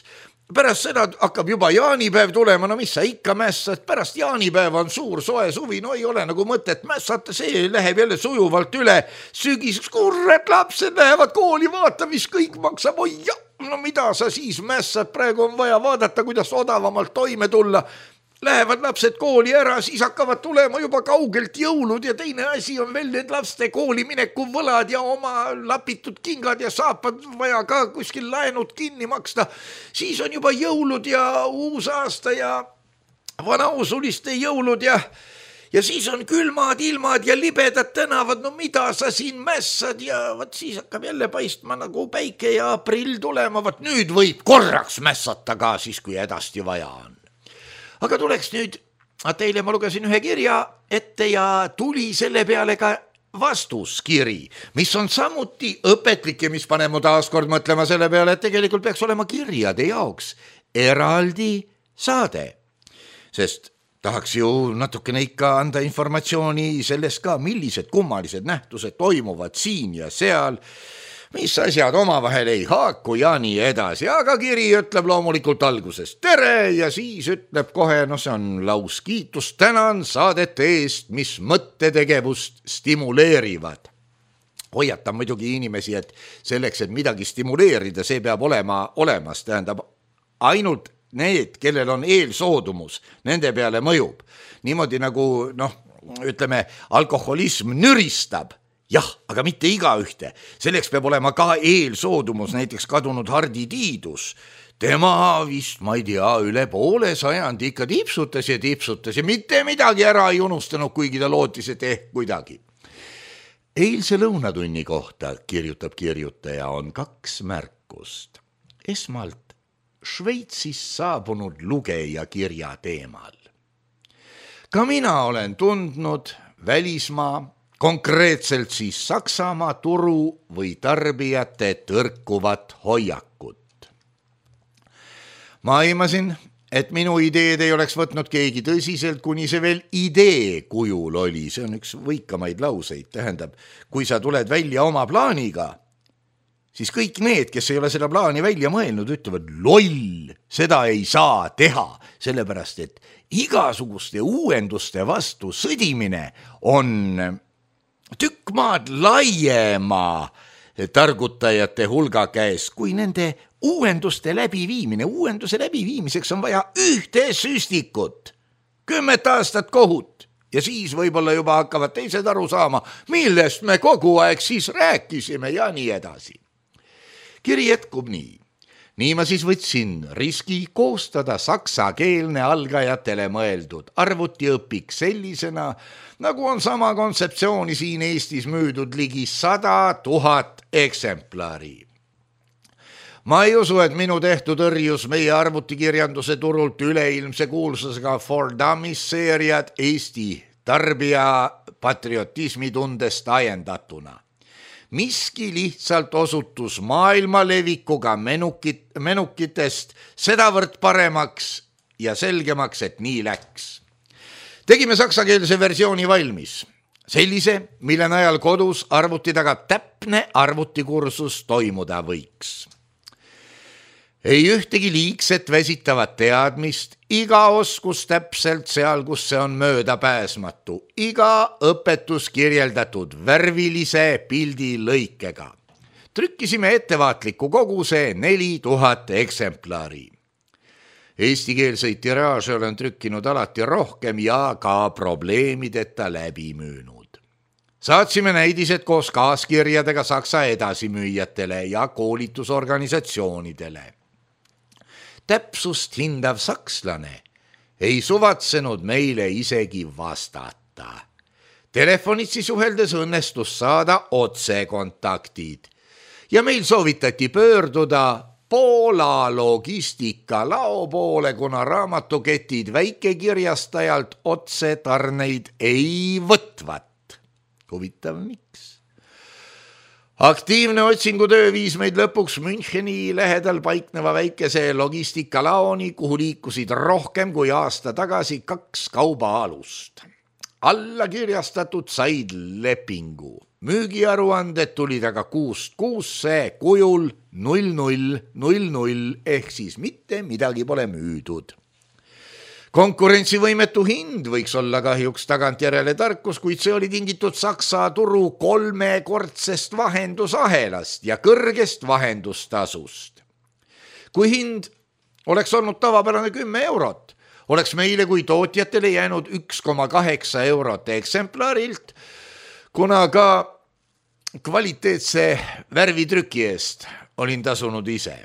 Pärast seda hakkab juba jaanipäev tulema, no mis sa ikka mässad, pärast jaanipäeva on suur soe suvi, no ei ole nagu mõtet mässata, see läheb jälle sujuvalt üle, sügiseks kurred lapsed lähevad kooli, vaata mis kõik maksab, oi ja, no mida sa siis mässad, praegu on vaja vaadata, kuidas odavamalt toime tulla. Lähevad lapsed kooli ära, siis hakkavad tulema juba kaugelt jõulud ja teine asi on veel need laste kooli mineku võlad ja oma lapitud kingad ja saapad vaja ka kuskil laenud kinni maksta. Siis on juba jõulud ja uus aasta ja vanausuliste jõulud ja, ja siis on külmad ilmad ja libedad tänavad, no mida sa siin mässad ja võt siis hakkab jälle paistma nagu päike ja aprill tulema, võt nüüd võib korraks mässata ka siis, kui hädasti vaja on. Aga tuleks nüüd, teile ma lugesin ühe kirja ette ja tuli selle peale ka vastuskiri, mis on samuti õpetlik ja mis paneb mu taaskord mõtlema selle peale, et tegelikult peaks olema kirjade jaoks eraldi saade. Sest tahaks ju natukene ikka anda informatsiooni sellest ka, millised kummalised nähtused toimuvad siin ja seal, mis asjad omavahel ei haaku ja nii edasi, aga kiri ütleb loomulikult alguses tere ja siis ütleb kohe, no see on laus kiitus, tänan saadete eest, mis mõttetegevust stimuleerivad. Hoiatan muidugi inimesi, et selleks, et midagi stimuleerida, see peab olema olemas, tähendab ainult need, kellel on eelsoodumus, nende peale mõjub. Niimoodi nagu, noh, ütleme, alkoholism nüristab, jah, aga mitte igaühte. Selleks peab olema ka eelsoodumus, näiteks kadunud Hardi Tiidus. Tema vist, ma ei tea, üle poole sajandi ikka tipsutas ja tipsutas ja mitte midagi ära ei unustanud, kuigi ta lootis, et ehk kuidagi. Eilse lõunatunni kohta, kirjutab kirjutaja, on kaks märkust. Esmalt Šveitsis saabunud lugeja kirja teemal. Ka mina olen tundnud välismaa, konkreetselt siis Saksamaa turu või tarbijate tõrkuvat hoiakut. Ma aimasin, et minu ideed ei oleks võtnud keegi tõsiselt, kuni see veel idee kujul oli. See on üks võikamaid lauseid, tähendab, kui sa tuled välja oma plaaniga, siis kõik need, kes ei ole seda plaani välja mõelnud, ütlevad loll, seda ei saa teha, sellepärast et igasuguste uuenduste vastu sõdimine on tükk maad laiema targutajate hulga käes, kui nende uuenduste läbiviimine. Uuenduse läbiviimiseks on vaja ühte süstikut, kümmet aastat kohut ja siis võib-olla juba hakkavad teised aru saama, millest me kogu aeg siis rääkisime ja nii edasi. Kiri jätkub nii. Nii ma siis võtsin riski koostada saksakeelne algajatele mõeldud arvutiõpik sellisena, nagu on sama kontseptsiooni siin Eestis müüdud ligi sada tuhat eksemplari. Ma ei usu, et minu tehtud õrjus meie arvutikirjanduse turult üleilmse kuulsusega For Dummies seeriad Eesti tarbija patriotismi tundest ajendatuna. Miski lihtsalt osutus maailma levikuga menukit, menukitest sedavõrd paremaks ja selgemaks, et nii läks. Tegime saksakeelse versiooni valmis. Sellise, mille najal kodus arvuti taga täpne arvutikursus toimuda võiks. Ei ühtegi liigset väsitavat teadmist, iga oskus täpselt seal, kus see on möödapääsmatu, iga õpetus kirjeldatud värvilise pildi lõikega. Trükkisime ettevaatliku koguse neli tuhat eksemplari. Eestikeelseid tiraaže olen trükkinud alati rohkem ja ka probleemideta läbi müünud. Saatsime näidised koos kaaskirjadega saksa edasimüüjatele ja koolitusorganisatsioonidele. Täpsust hindav sakslane ei suvatsenud meile isegi vastata. Telefonitsi suheldes õnnestus saada otsekontaktid ja meil soovitati pöörduda Poola logistikalao poole, kuna raamatuketid väikekirjastajalt otsetarneid ei võtvat. Huvitav miks? Aktiivne otsingutöö viis meid lõpuks Müncheni lähedal paikneva väikese logistikalaoni, kuhu liikusid rohkem kui aasta tagasi kaks kaubaalust. Alla kirjastatud said lepingu. Müügiaruanded tulid aga kuust kuusse kujul null null null null ehk siis mitte midagi pole müüdud. Konkurentsivõimetu hind võiks olla kahjuks tagantjärele tarkus, kuid see oli tingitud Saksa turu kolmekordsest vahendusahelast ja kõrgest vahendustasust. Kui hind oleks olnud tavapärane kümme eurot, oleks meile kui tootjatele jäänud üks koma kaheksa eurot eksemplarilt, kuna ka kvaliteetse värvitrüki eest olin tasunud ise.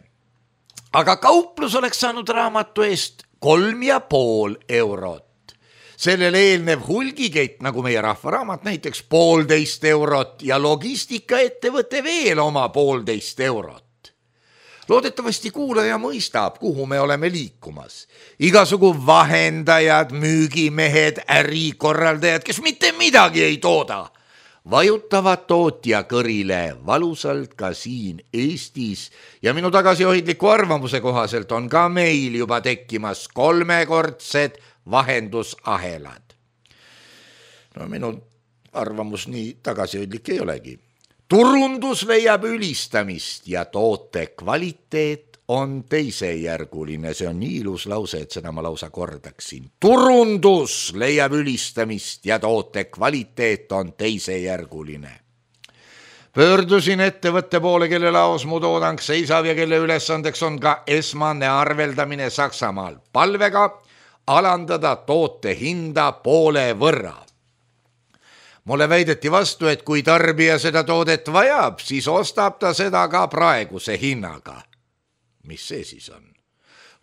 Aga kauplus oleks saanud raamatu eest kolm ja pool eurot. Sellele eelnev hulgikett, nagu meie rahvaraamat, näiteks poolteist eurot ja logistikaettevõte veel oma poolteist eurot. Loodetavasti kuulaja mõistab, kuhu me oleme liikumas. Igasugu vahendajad, müügimehed, ärikorraldajad, kes mitte midagi ei tooda, vajutavad tootja kõrile valusalt ka siin Eestis ja minu tagasihoidliku arvamuse kohaselt on ka meil juba tekkimas kolmekordsed vahendusahelad. No minu arvamus nii tagasihoidlik ei olegi. Turundus leiab ülistamist ja toote kvaliteet on teisejärguline. See on nii ilus lause, et seda ma lausa kordaksin. Turundus leiab ülistamist ja toote kvaliteet on teisejärguline. Pöördusin ettevõtte poole, kelle laos mu toodang seisab ja kelle ülesandeks on ka esmane arveldamine Saksamaal palvega alandada toote hinda poole võrra. Mulle väideti vastu, et kui tarbija seda toodet vajab, siis ostab ta seda ka praeguse hinnaga. Mis see siis on?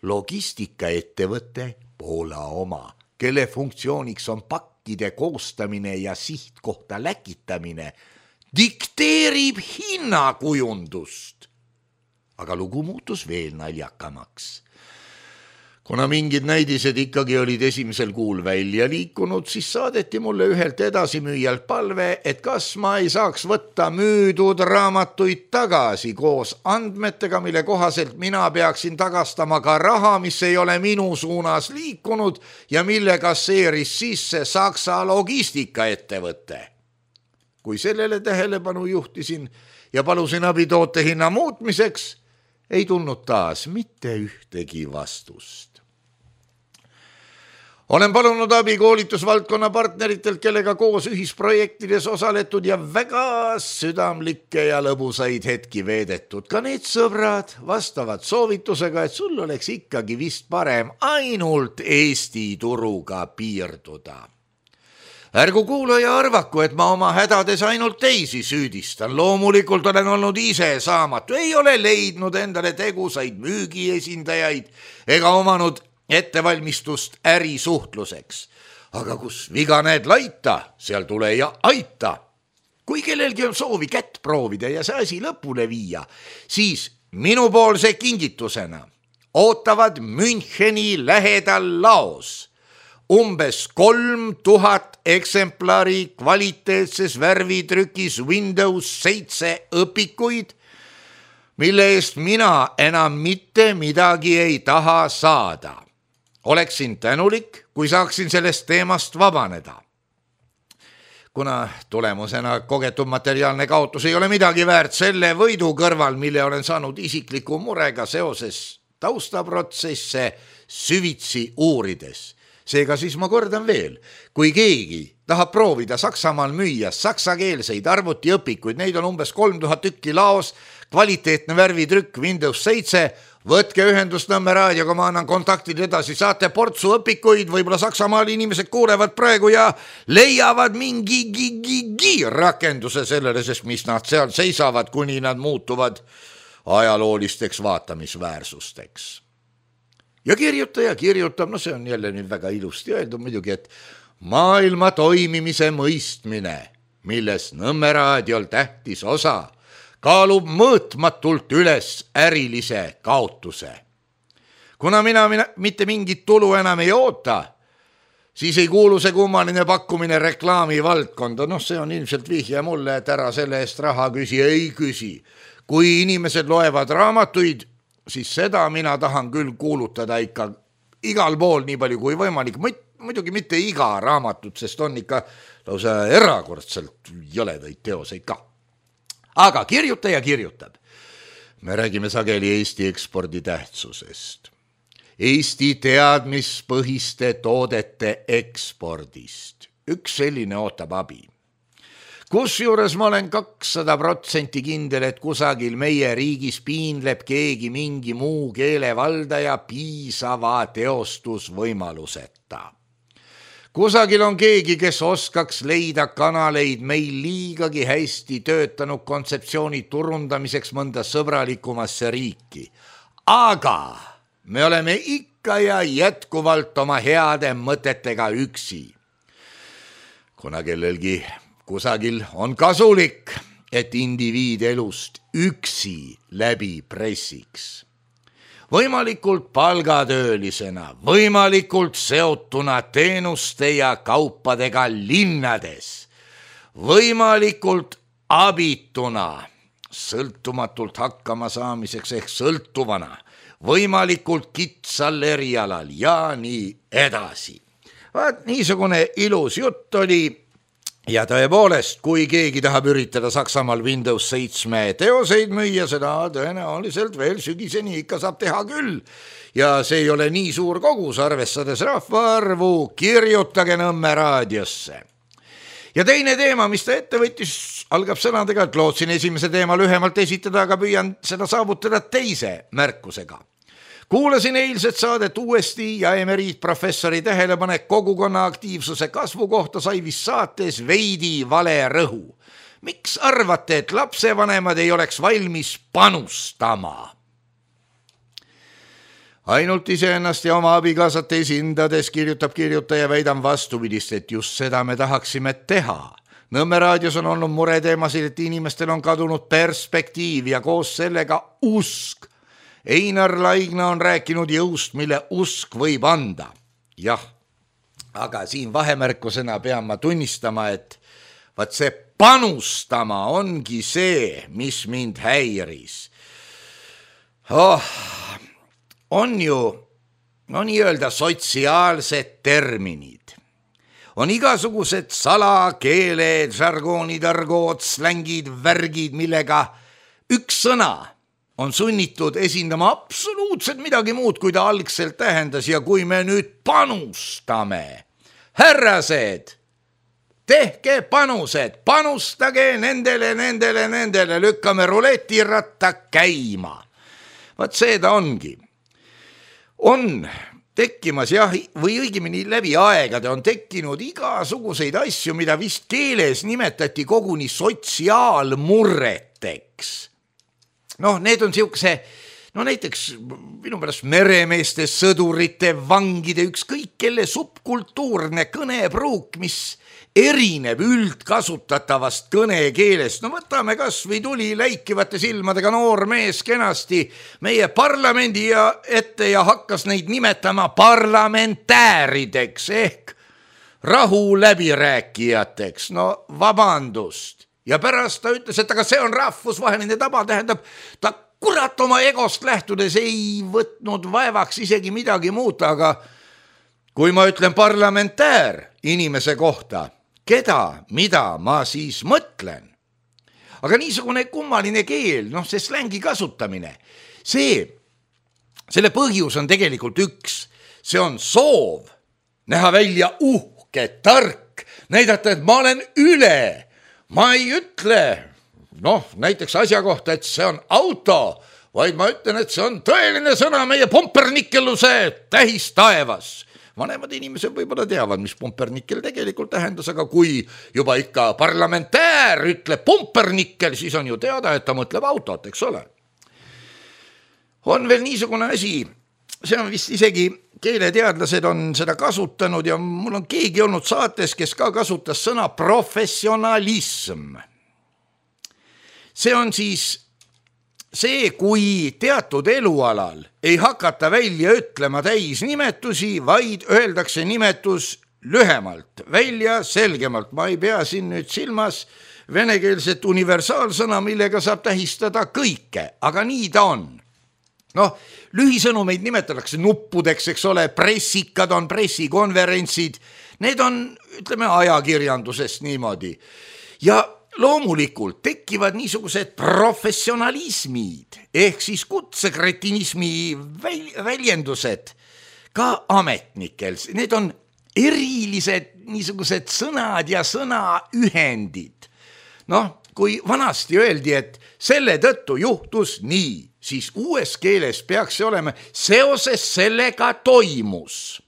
Logistikaettevõte Poola oma, kelle funktsiooniks on pakkide koostamine ja sihtkohta läkitamine, dikteerib hinnakujundust. Aga lugu muutus veel naljakamaks. Kuna mingid näidised ikkagi olid esimesel kuul välja liikunud, siis saadeti mulle ühelt edasimüüjalt palve, et kas ma ei saaks võtta müüdud raamatuid tagasi koos andmetega, mille kohaselt mina peaksin tagastama ka raha, mis ei ole minu suunas liikunud ja mille kasseeris sisse Saksa logistikaettevõte. Kui sellele tähelepanu juhtisin ja palusin abi toote hinna muutmiseks, ei tulnud taas mitte ühtegi vastust. Olen palunud abi koolitusvaldkonna partneritelt, kellega koos ühisprojektides osaletud ja väga südamlikke ja lõbusaid hetki veedetud. Ka need sõbrad vastavad soovitusega, et sul oleks ikkagi vist parem ainult Eesti turuga piirduda. Ärgu kuulaja arvaku, et ma oma hädades ainult teisi süüdistan. Loomulikult olen olnud ise saamatu, ei ole leidnud endale tegusaid müügiesindajaid ega omanud ettevalmistust ärisuhtluseks. Aga kus viga näed laita, seal tule ja aita. Kui kellelgi on soovi kätt proovida ja see asi lõpule viia, siis minupoolse kingitusena ootavad Müncheni lähedal laos umbes kolm tuhat eksemplari kvaliteetses värvitrükis Windows seitse õpikuid, mille eest mina enam mitte midagi ei taha saada. Oleksin tänulik, kui saaksin sellest teemast vabaneda. Kuna tulemusena kogetud materiaalne kaotus ei ole midagi väärt selle võidu kõrval, mille olen saanud isikliku murega seoses taustaprotsesse süvitsi uurides. Seega siis ma kordan veel, kui keegi tahab proovida Saksamaal müüa saksakeelseid arvutiõpikuid, neid on umbes kolm tuhat tükki laos, kvaliteetne värvitrükk Windows seitse, võtke ühendust Nõmme raadioga, ma annan kontaktid edasi, saate portsu õpikuid, võib-olla Saksamaal inimesed kuulevad praegu ja leiavad mingi gigi rakenduse sellele, sest mis nad seal seisavad, kuni nad muutuvad ajaloolisteks vaatamisväärsusteks. ja kirjutaja kirjutab, no see on jälle nüüd väga ilusti öeldud muidugi, et maailma toimimise mõistmine, milles Nõmme raadiol tähtis osa, kaalub mõõtmatult üles ärilise kaotuse. Kuna mina, mina mitte mingit tulu enam ei oota, siis ei kuulu see kummaline pakkumine reklaami valdkonda. Noh, see on ilmselt vihje mulle, et ära selle eest raha küsi, ei küsi. Kui inimesed loevad raamatuid, siis seda mina tahan küll kuulutada ikka igal pool nii palju kui võimalik. Muidugi mitte iga raamatut, sest on ikka lausa erakordselt jõledaid teoseid ka. Aga kirjutaja kirjutab. Me räägime sageli Eesti ekspordi tähtsusest. Eesti teadmispõhiste toodete ekspordist. Üks selline ootab abi. Kusjuures ma olen kakssada protsenti kindel, et kusagil meie riigis piinleb keegi mingi muu keelevaldaja piisava teostusvõimaluseta. Kusagil on keegi, kes oskaks leida kanaleid meil liigagi hästi töötanud kontseptsiooni turundamiseks mõnda sõbralikumasse riiki. Aga me oleme ikka ja jätkuvalt oma heade mõtetega üksi. Kuna kellelgi kusagil on kasulik, et indiviid elust üksi läbi pressiks. Võimalikult palgatöölisena, võimalikult seotuna teenuste ja kaupadega linnades, võimalikult abituna, sõltumatult hakkama saamiseks ehk sõltuvana, võimalikult kitsal erialal ja nii edasi. Vaat niisugune ilus jutt oli ja tõepoolest, kui keegi tahab üritada Saksamaal Windows seitse teoseid müüa, seda tõenäoliselt veel sügiseni ikka saab teha küll. Ja see ei ole nii suur kogus, arvestades rahvaarvu, kirjutage Nõmme raadiosse. Ja teine teema, mis ta ette võttis, algab sõnadega, et lootsin esimese teema lühemalt esitada, aga püüan seda saavutada teise märkusega. Kuulasin eilset saadet uuesti ja emeriitprofessori tähelepanek kogukonna aktiivsuse kasvu kohta sai vist saates veidi vale rõhu. Miks arvate, et lapsevanemad ei oleks valmis panustama? Ainult iseennast ja oma abikaasat esindades kirjutab kirjutaja väidan vastupidist, et just seda me tahaksime teha. Nõmme raadios on olnud mureteemasid, et inimestel on kadunud perspektiiv ja koos sellega usk. Einar Laigna on rääkinud jõust, mille usk võib anda. Jah, aga siin vahemärkusena pean ma tunnistama, et vaat see panustama ongi see, mis mind häiris. Oh, on ju, no nii öelda, sotsiaalsed terminid. On igasugused salakeeled, žargoonid, argood, slängid, värgid, millega üks sõna on sunnitud esindama absoluutselt midagi muud, kui ta algselt tähendas. Ja kui me nüüd panustame, härrased, tehke panused, panustage nendele, nendele, nendele, lükkame ruletiratta käima. Vaat see ta ongi. On tekkimas, jah, või õigemini läbi aegade on tekkinud igasuguseid asju, mida vist keeles nimetati koguni sotsiaalmurreteks. Noh, need on siukse, no näiteks minu pärast meremeeste, sõdurite, vangide, ükskõik kelle subkultuurne kõnepruuk, mis erineb üldkasutatavast kõnekeelest. No võtame kas või tuli läikivate silmadega noor mees kenasti meie parlamendi ja ette ja hakkas neid nimetama parlamentäärideks ehk rahu läbirääkijateks. No vabandust. Ja pärast ta ütles, et aga see on rahvusvaheline taba, tähendab, ta kurat oma egost lähtudes ei võtnud vaevaks isegi midagi muuta, aga kui ma ütlen parlamentäär inimese kohta, keda, mida ma siis mõtlen? Aga niisugune kummaline keel, noh see slängi kasutamine, see, selle põhjus on tegelikult üks, see on soov näha välja uhke, tark, näidata, et ma olen üle. Ma ei ütle, noh, näiteks asja kohta, et see on auto, vaid ma ütlen, et see on tõeline sõna meie pompernikeluse tähis taevas. Vanemad inimesed võib-olla teavad, mis pompernikel tegelikult tähendas, aga kui juba ikka parlamentäär ütleb pompernikel, siis on ju teada, et ta mõtleb autot, eks ole. On veel niisugune asi, see on vist isegi keeleteadlased on seda kasutanud ja mul on keegi olnud saates, kes ka kasutas sõna professionalism. See on siis see, kui teatud elualal ei hakata välja ütlema täisnimetusi, vaid öeldakse nimetus lühemalt, välja selgemalt. Ma ei pea siin nüüd silmas venekeelset universaalsõna, millega saab tähistada kõike, aga nii ta on. Noh, lühisõnumeid nimetatakse nuppudeks, eks ole, pressikad on pressikonverentsid, need on, ütleme, ajakirjandusest niimoodi. Ja loomulikult tekivad niisugused professionalismid, ehk siis kutsekretinismi väljendused ka ametnikel. Need on erilised niisugused sõnad ja sõnaühendid. Noh, kui vanasti öeldi, et selle tõttu juhtus nii, siis uues keeles peaks see olema seoses sellega toimus.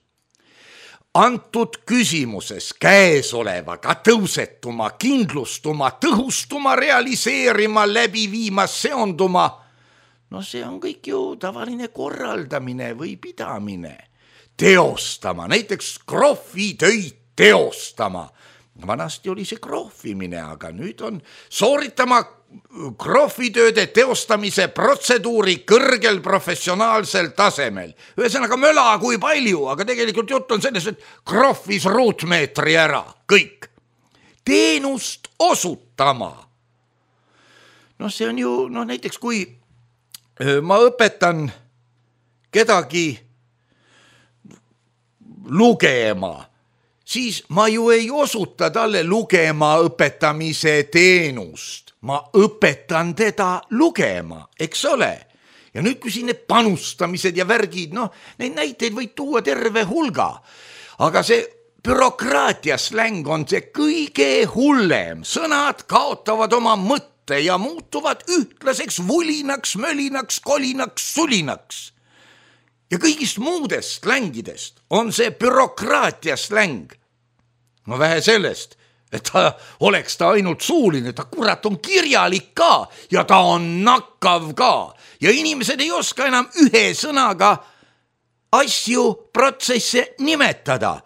Antud küsimuses käesolevaga tõusetuma, kindlustuma, tõhustuma, realiseerima, läbi viima, seonduma. No see on kõik ju tavaline korraldamine või pidamine. Teostama, näiteks krohvitöid teostama. Vanasti oli see krohvimine, aga nüüd on sooritama krohvitööde teostamise protseduuri kõrgel professionaalsel tasemel. Ühesõnaga möla kui palju, aga tegelikult jutt on selles, et krohvis ruutmeetri ära, kõik. Teenust osutama. No see on ju, no näiteks kui ma õpetan kedagi lugema, siis ma ju ei osuta talle lugema õpetamise teenust. Ma õpetan teda lugema, eks ole. Ja nüüd kui siin need panustamised ja värgid, noh, neid näiteid võid tuua terve hulga. Aga see bürokraatia släng on see kõige hullem. Sõnad kaotavad oma mõtte ja muutuvad ühtlaseks vulinaks, mölinaks, kolinaks, sulinaks. Ja kõigist muudest slängidest on see bürokraatia släng. No vähe sellest, et ta oleks ta ainult suuline, ta kurat on kirjalik ka ja ta on nakkav ka. Ja inimesed ei oska enam ühe sõnaga asju, protsesse nimetada.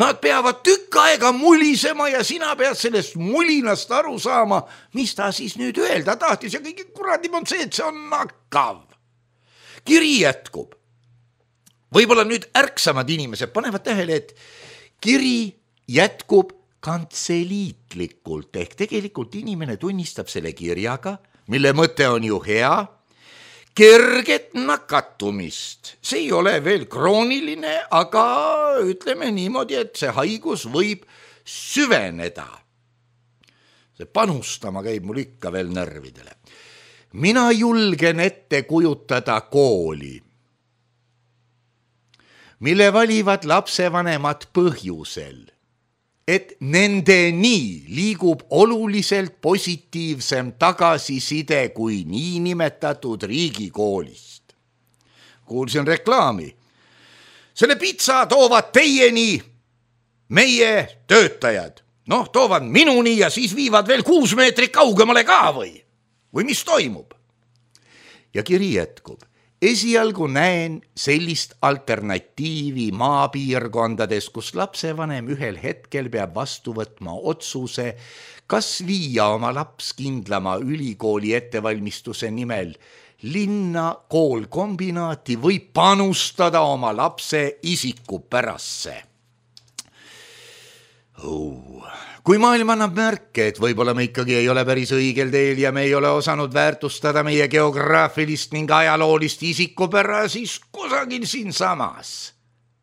Nad peavad tükk aega mulisema ja sina pead sellest mulinast aru saama, mis ta siis nüüd öelda tahtis ja kõige kuradim on see, et see on nakkav. Kiri jätkub. Võib-olla nüüd ärksamad inimesed panevad tähele, et kiri jätkub kantseliitlikult, ehk tegelikult inimene tunnistab selle kirjaga, mille mõte on ju hea, kerget nakatumist. See ei ole veel krooniline, aga ütleme niimoodi, et see haigus võib süveneda. See panustama käib mul ikka veel närvidele. Mina julgen ette kujutada kooli, mille valivad lapsevanemad põhjusel, et nendeni liigub oluliselt positiivsem tagasiside kui niinimetatud riigikoolist. Kuulsin reklaami. Selle pitsa toovad teieni meie töötajad. Noh, toovad minuni ja siis viivad veel kuus meetrit kaugemale ka või? Või mis toimub? Ja kiri jätkub. Esialgu näen sellist alternatiivi maapiirkondades, kus lapsevanem ühel hetkel peab vastu võtma otsuse, kas viia oma laps kindlama ülikooli ettevalmistuse nimel linna koolkombinaati või panustada oma lapse isikupärasse. Oh. Kui maailm annab märke, et võib-olla me ikkagi ei ole päris õigel teel ja me ei ole osanud väärtustada meie geograafilist ning ajaloolist isikupära, siis kusagil siin samas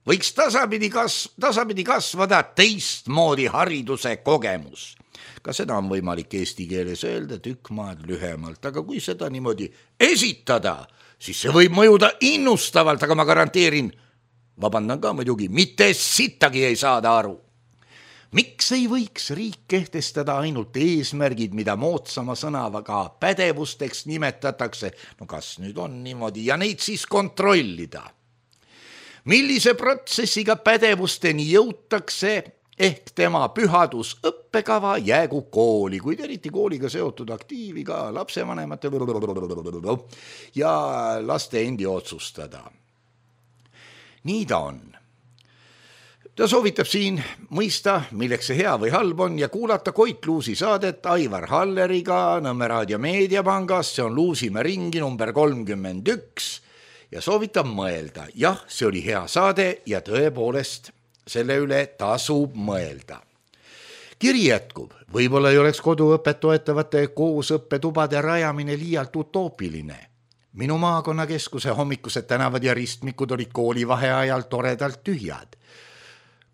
võiks tasapidi, kas, tasapidi kasvada teistmoodi hariduse kogemus. Ka seda on võimalik eesti keeles öelda tükk maad lühemalt, aga kui seda niimoodi esitada, siis see võib mõjuda innustavalt, aga ma garanteerin, vabandan ka muidugi, mitte sittagi ei saada aru. Miks ei võiks riik kehtestada ainult eesmärgid, mida moodsama sõnavaga pädevusteks nimetatakse? No kas nüüd on niimoodi ja neid siis kontrollida? Millise protsessiga pädevusteni jõutakse, ehk tema pühadus õppekava jäägu kooli, kuid eriti kooliga seotud aktiivi ka lapsevanemate ja laste endi otsustada. nii ta on. Ta soovitab siin mõista, milleks see hea või halb on ja kuulata Koit Luusi saadet Aivar Halleriga Nõmme Raadio Meediapangast, see on Luusimäe ringi number kolmkümmend üks ja soovitab mõelda. Jah, see oli hea saade ja tõepoolest selle üle tasub mõelda. Kiri jätkub, võib-olla ei oleks koduõpet toetavate koosõppetubade rajamine liialt utoopiline. Minu maakonnakeskuse hommikused tänavad ja ristmikud olid koolivaheajal toredalt tühjad.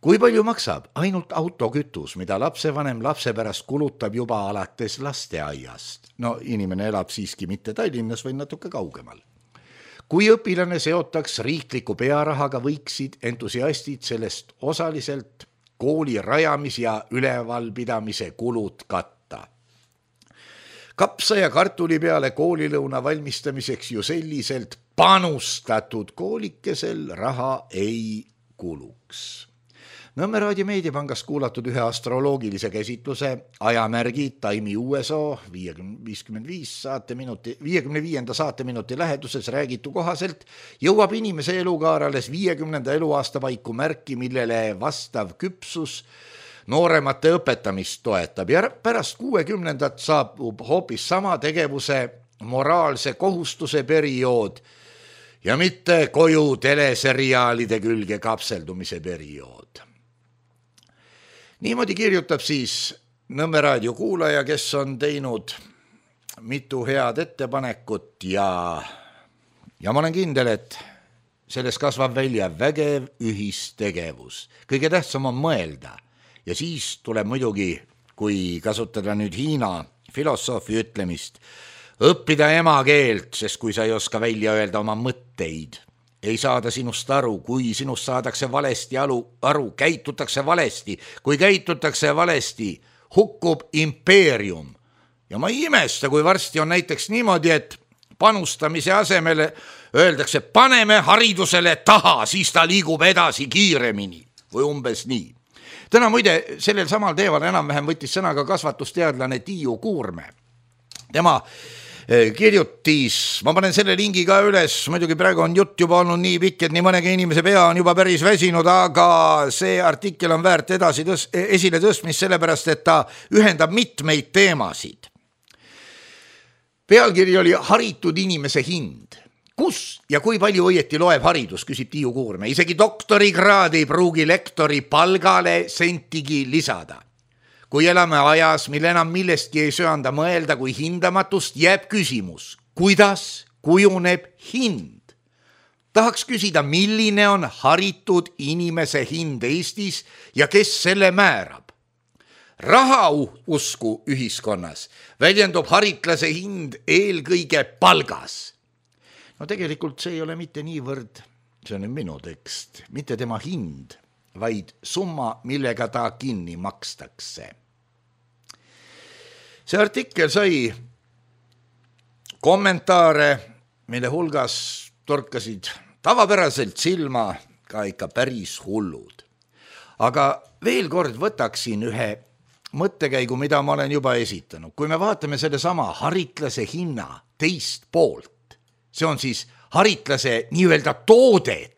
Kui palju maksab ainult autokütus, mida lapsevanem lapse pärast kulutab juba alates lasteaiast? No inimene elab siiski mitte Tallinnas, või natuke kaugemal. Kui õpilane seotaks riikliku pearahaga, võiksid entusiastid sellest osaliselt kooli rajamis- ja ülevalpidamise kulud katta. Kapsa ja kartuli peale koolilõuna valmistamiseks ju selliselt panustatud koolikesel raha ei kuluks. Nõmme Raadio Meediapangast kuulatud ühe astroloogilise käsitluse ajamärgi Taimi U S O viiskümmend viis saateminuti, viiekümne viienda saateminuti läheduses räägitu kohaselt jõuab inimese elukaar alles viiekümnenda eluaasta paiku märki, millele vastav küpsus nooremate õpetamist toetab ja pärast kuuekümnendat saabub hoopis sama tegevuse moraalse kohustuse periood ja mitte koju teleseriaalide külge kapseldumise periood. Niimoodi kirjutab siis Nõmme Raadio kuulaja, kes on teinud mitu head ettepanekut ja, ja ma olen kindel, et selles kasvab välja vägev ühistegevus. Kõige tähtsam on mõelda ja siis tuleb muidugi, kui kasutada nüüd Hiina filosoofi ütlemist, õppida emakeelt, sest kui sa ei oska välja öelda oma mõtteid, ei saada sinust aru, kui sinust saadakse valesti aru, aru, käitutakse valesti, kui käitutakse valesti, hukkub impeerium. Ja ma ei imesta, kui varsti on näiteks niimoodi, et panustamise asemele öeldakse, paneme haridusele taha, siis ta liigub edasi kiiremini või umbes nii. Täna muide sellel samal teeval enam-vähem võttis sõna ka kasvatusteadlane Tiiu Kuurme. Tema kirjutis, ma panen selle lingi ka üles, muidugi praegu on jutt juba olnud nii pikk, et nii mõnegi inimese pea on juba päris väsinud, aga see artikkel on väärt edasi tõs, esile tõstmist sellepärast, et ta ühendab mitmeid teemasid. Pealkiri oli haritud inimese hind. Kus ja kui palju õieti loeb haridus, küsib Tiiu Kuurme. Isegi doktorikraadi ei pruugi lektori palgale sentigi lisada. Kui elame ajas, mille enam millestki ei söanda mõelda kui hindamatust, jääb küsimus, kuidas kujuneb hind? Tahaks küsida, milline on haritud inimese hind Eestis ja kes selle määrab? Raha usku ühiskonnas väljendub haritlase hind eelkõige palgas. No tegelikult see ei ole mitte niivõrd, see on minu tekst, mitte tema hind, vaid summa, millega ta kinni makstakse. See artikkel sai kommentaare, mille hulgas torkasid tavapäraselt silma ka ikka päris hullud. Aga veel kord võtaksin ühe mõttekäigu, mida ma olen juba esitanud. Kui me vaatame selle sama haritlase hinna teist poolt, see on siis haritlase nii-öelda toodet,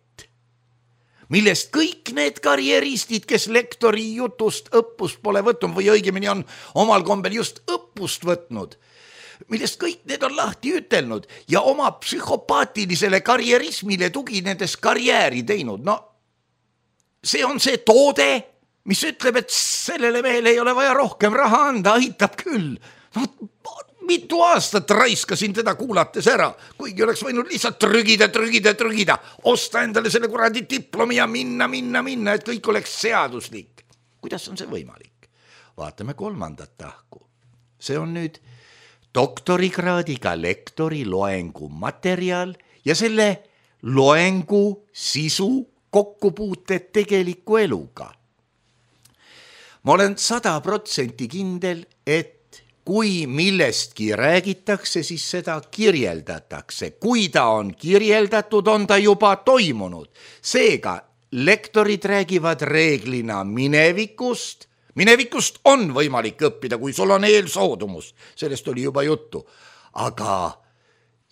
millest kõik need karjeristid, kes lektori jutust õppust pole võtnud või õigemini on omal kombel just õppust võtnud, millest kõik need on lahti ütelnud ja oma psühhopaatilisele karjerismile tuginedes karjääri teinud. No see on see toode, mis ütleb, et sellele mehele ei ole vaja rohkem raha anda, aitab küll. No, mitu aastat raiskasin teda kuulates ära, kuigi oleks võinud lihtsalt trügida, trügida, trügida, osta endale selle kuradi diplomi ja minna, minna, minna, et kõik oleks seaduslik. Kuidas on see võimalik? Vaatame kolmandat tahku. See on nüüd doktorikraadiga lektori loengu materjal ja selle loengu sisu kokkupuuted tegeliku eluga. Ma olen sada protsenti kindel, et kui millestki räägitakse, siis seda kirjeldatakse. Kui ta on kirjeldatud, on ta juba toimunud. Seega lektorid räägivad reeglina minevikust. Minevikust on võimalik õppida, kui sul on eelsoodumus. Sellest oli juba juttu. Aga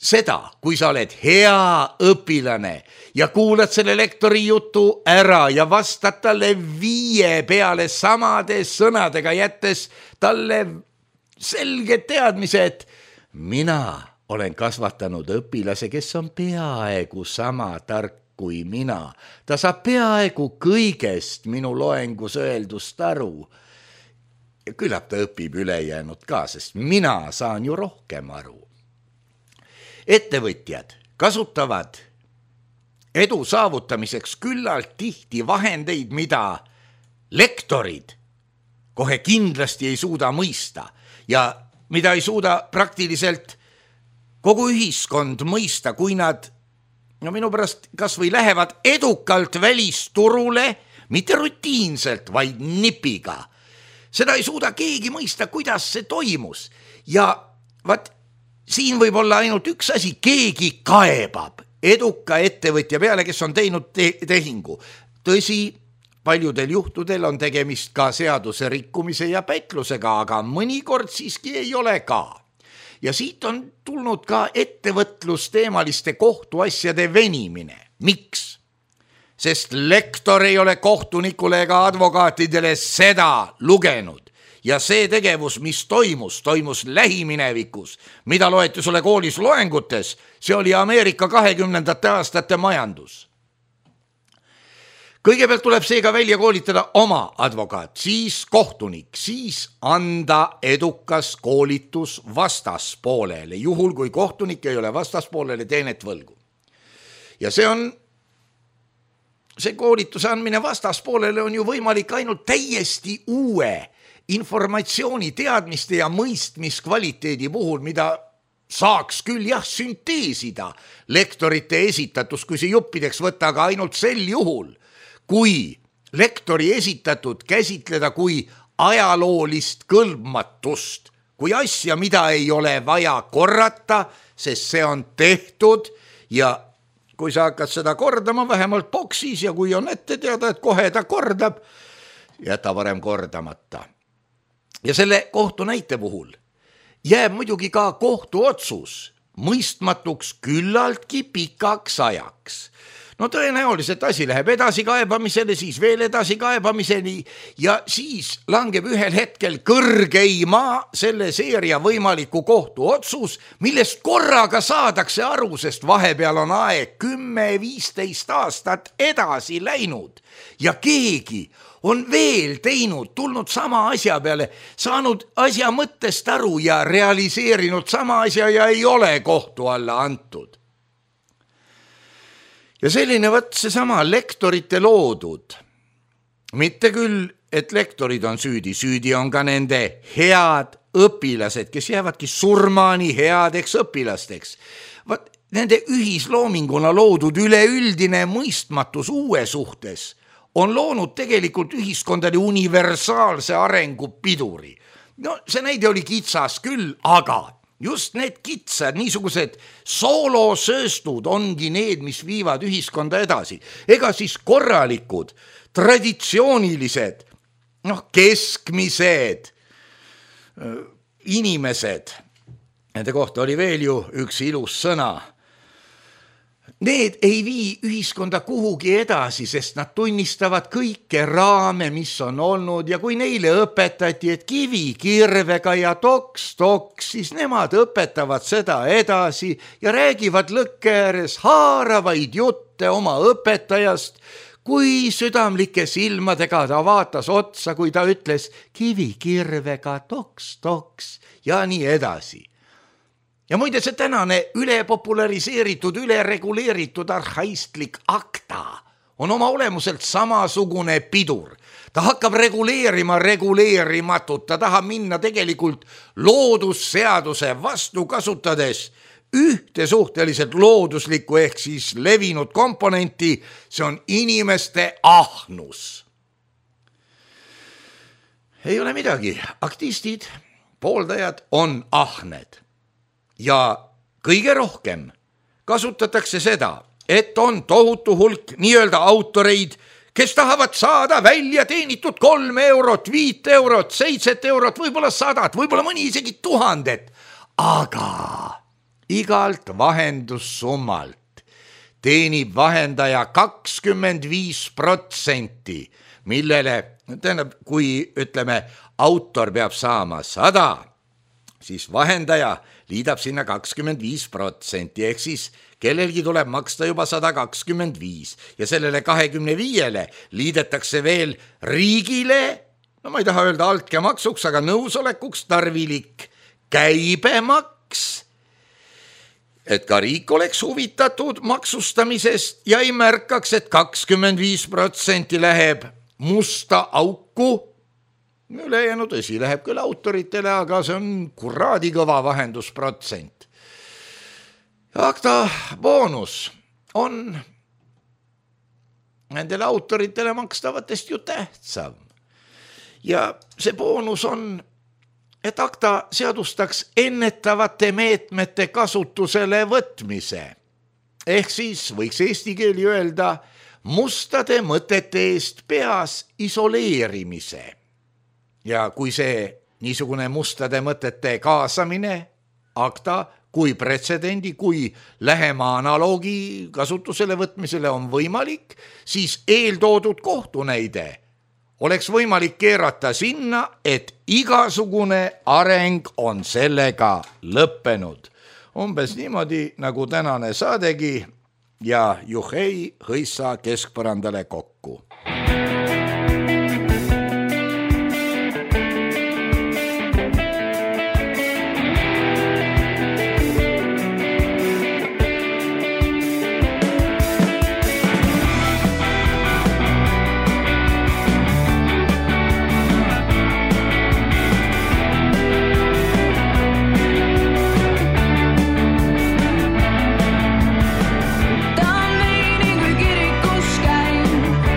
seda, kui sa oled hea õpilane ja kuulad selle lektori jutu ära ja vastad talle viie peale samade sõnadega, jättes talle selge teadmise, et mina olen kasvatanud õpilase, kes on peaaegu sama tark kui mina. Ta saab peaaegu kõigest minu loengus öeldust aru. Ja küllap ta õpib ülejäänud ka, sest mina saan ju rohkem aru. Ettevõtjad kasutavad edu saavutamiseks küllalt tihti vahendeid, mida lektorid kohe kindlasti ei suuda mõista ja mida ei suuda praktiliselt kogu ühiskond mõista, kui nad no minu pärast kas või lähevad edukalt välisturule, mitte rutiinselt, vaid nipiga. Seda ei suuda keegi mõista, kuidas see toimus. Ja vaat, siin võib olla ainult üks asi, keegi kaebab eduka ettevõtja peale, kes on teinud te- tehingu. Tõsi, paljudel juhtudel on tegemist ka seaduse rikkumise ja petlusega, aga mõnikord siiski ei ole ka. Ja siit on tulnud ka ettevõtlusteemaliste kohtuasjade venimine. Miks? Sest lektor ei ole kohtunikule ega advokaatidele seda lugenud. Ja see tegevus, mis toimus, toimus lähiminevikus, mida loeti sulle koolis loengutes, see oli Ameerika kahekümnendate aastate majandus. Kõigepealt tuleb seega välja koolitada oma advokaat, siis kohtunik, siis anda edukas koolitus vastaspoolele, juhul kui kohtunik ei ole vastaspoolele teenet võlgu. Ja see on, see koolituse andmine vastaspoolele on ju võimalik ainult täiesti uue informatsiooni, teadmiste ja mõistmiskvaliteedi puhul, mida saaks küll jah sünteesida lektorite esitatus, kui see juppideks võtta, aga ainult sel juhul, kui lektori esitatud käsitleda kui ajaloolist kõlbmatust, kui asja, mida ei ole vaja korrata, sest see on tehtud ja kui sa hakkad seda kordama vähemalt boksis ja kui on ette teada, et kohe ta kordab, jäta varem kordamata. Ja selle kohtu näite puhul jääb muidugi ka kohtuotsus mõistmatuks küllaltki pikaks ajaks. No tõenäoliselt asi läheb edasi kaebamisele, siis veel edasi kaebamiseni ja siis langeb ühel hetkel kõrgeima selle seeria võimaliku kohtuotsus, millest korraga saadakse aru, sest vahepeal on aeg kümme viisteist aastat edasi läinud ja keegi on veel teinud, tulnud sama asja peale, saanud asja mõttest aru ja realiseerinud sama asja ja ei ole kohtu alla antud. Ja selline võt seesama lektorite loodud. Mitte küll, et lektorid on süüdi, süüdi on ka nende head õpilased, kes jäävadki surmani headeks õpilasteks. Vaat, nende ühisloominguna loodud üleüldine mõistmatus uue suhtes on loonud tegelikult ühiskondade universaalse arengu piduri. No see näide oli kitsas küll, aga just need kitsad, niisugused soolosööstud ongi need, mis viivad ühiskonda edasi. Ega siis korralikud, traditsioonilised, noh, keskmised inimesed, nende kohta oli veel ju üks ilus sõna, need ei vii ühiskonda kuhugi edasi, sest nad tunnistavad kõike raame, mis on olnud ja kui neile õpetati, et kivi kirvega ja toks, toks, siis nemad õpetavad seda edasi ja räägivad lõkke ääres haaravaid jutte oma õpetajast, kui südamlike silmadega ta vaatas otsa, kui ta ütles kivi kirvega toks, toks ja nii edasi. Ja muide see tänane ülepopulariseeritud, ülereguleeritud arhaistlik akta on oma olemuselt samasugune pidur. Ta hakkab reguleerima reguleerimatut, ta tahab minna tegelikult loodusseaduse vastu kasutades ühte suhteliselt looduslikku ehk siis levinud komponenti, see on inimeste ahnus. Ei ole midagi, aktistid, pooldajad on ahned. Ja kõige rohkem kasutatakse seda, et on tohutu hulk nii-öelda autoreid, kes tahavad saada välja teenitud kolm eurot, viit eurot, seitset eurot, võib-olla sadat, võib-olla mõni isegi tuhandet. Aga igalt vahendussummalt teenib vahendaja kakskümmend viis protsenti, millele, tähendab, kui ütleme, autor peab saama sada, siis vahendaja liidab sinna kakskümmend viis protsenti, ehk siis kellelgi tuleb maksta juba sada kakskümmend viis ja sellele kahekümne viiele liidetakse veel riigile, no ma ei taha öelda altkäemaksuks, aga nõusolekuks tarvilik käibemaks, et ka riik oleks huvitatud maksustamisest ja ei märkaks, et kakskümmend viis protsenti läheb musta auku. Ülejäänu tõsi, läheb küll autoritele, aga see on kuradi kõva vahendusprotsent. Akta boonus on nendele autoritele makstavatest ju tähtsam. Ja see boonus on, et akta seadustaks ennetavate meetmete kasutusele võtmise. Ehk siis võiks eesti keeli öelda mustade mõtete eest peas isoleerimise. Ja kui see niisugune mustade mõtete kaasamine akta kui pretsedendi, kui lähema analoogi kasutusele võtmisele on võimalik, siis eeltoodud kohtunäide oleks võimalik keerata sinna, et igasugune areng on sellega lõppenud. Umbes niimoodi nagu tänane saadegi ja juhei hõissa keskpõrandale kokku. Ta on meini kui kirikus käin,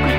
kui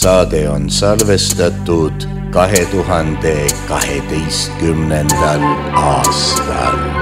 Saade on salvestatud kahe tuhande kaheteistkümnendal aastal.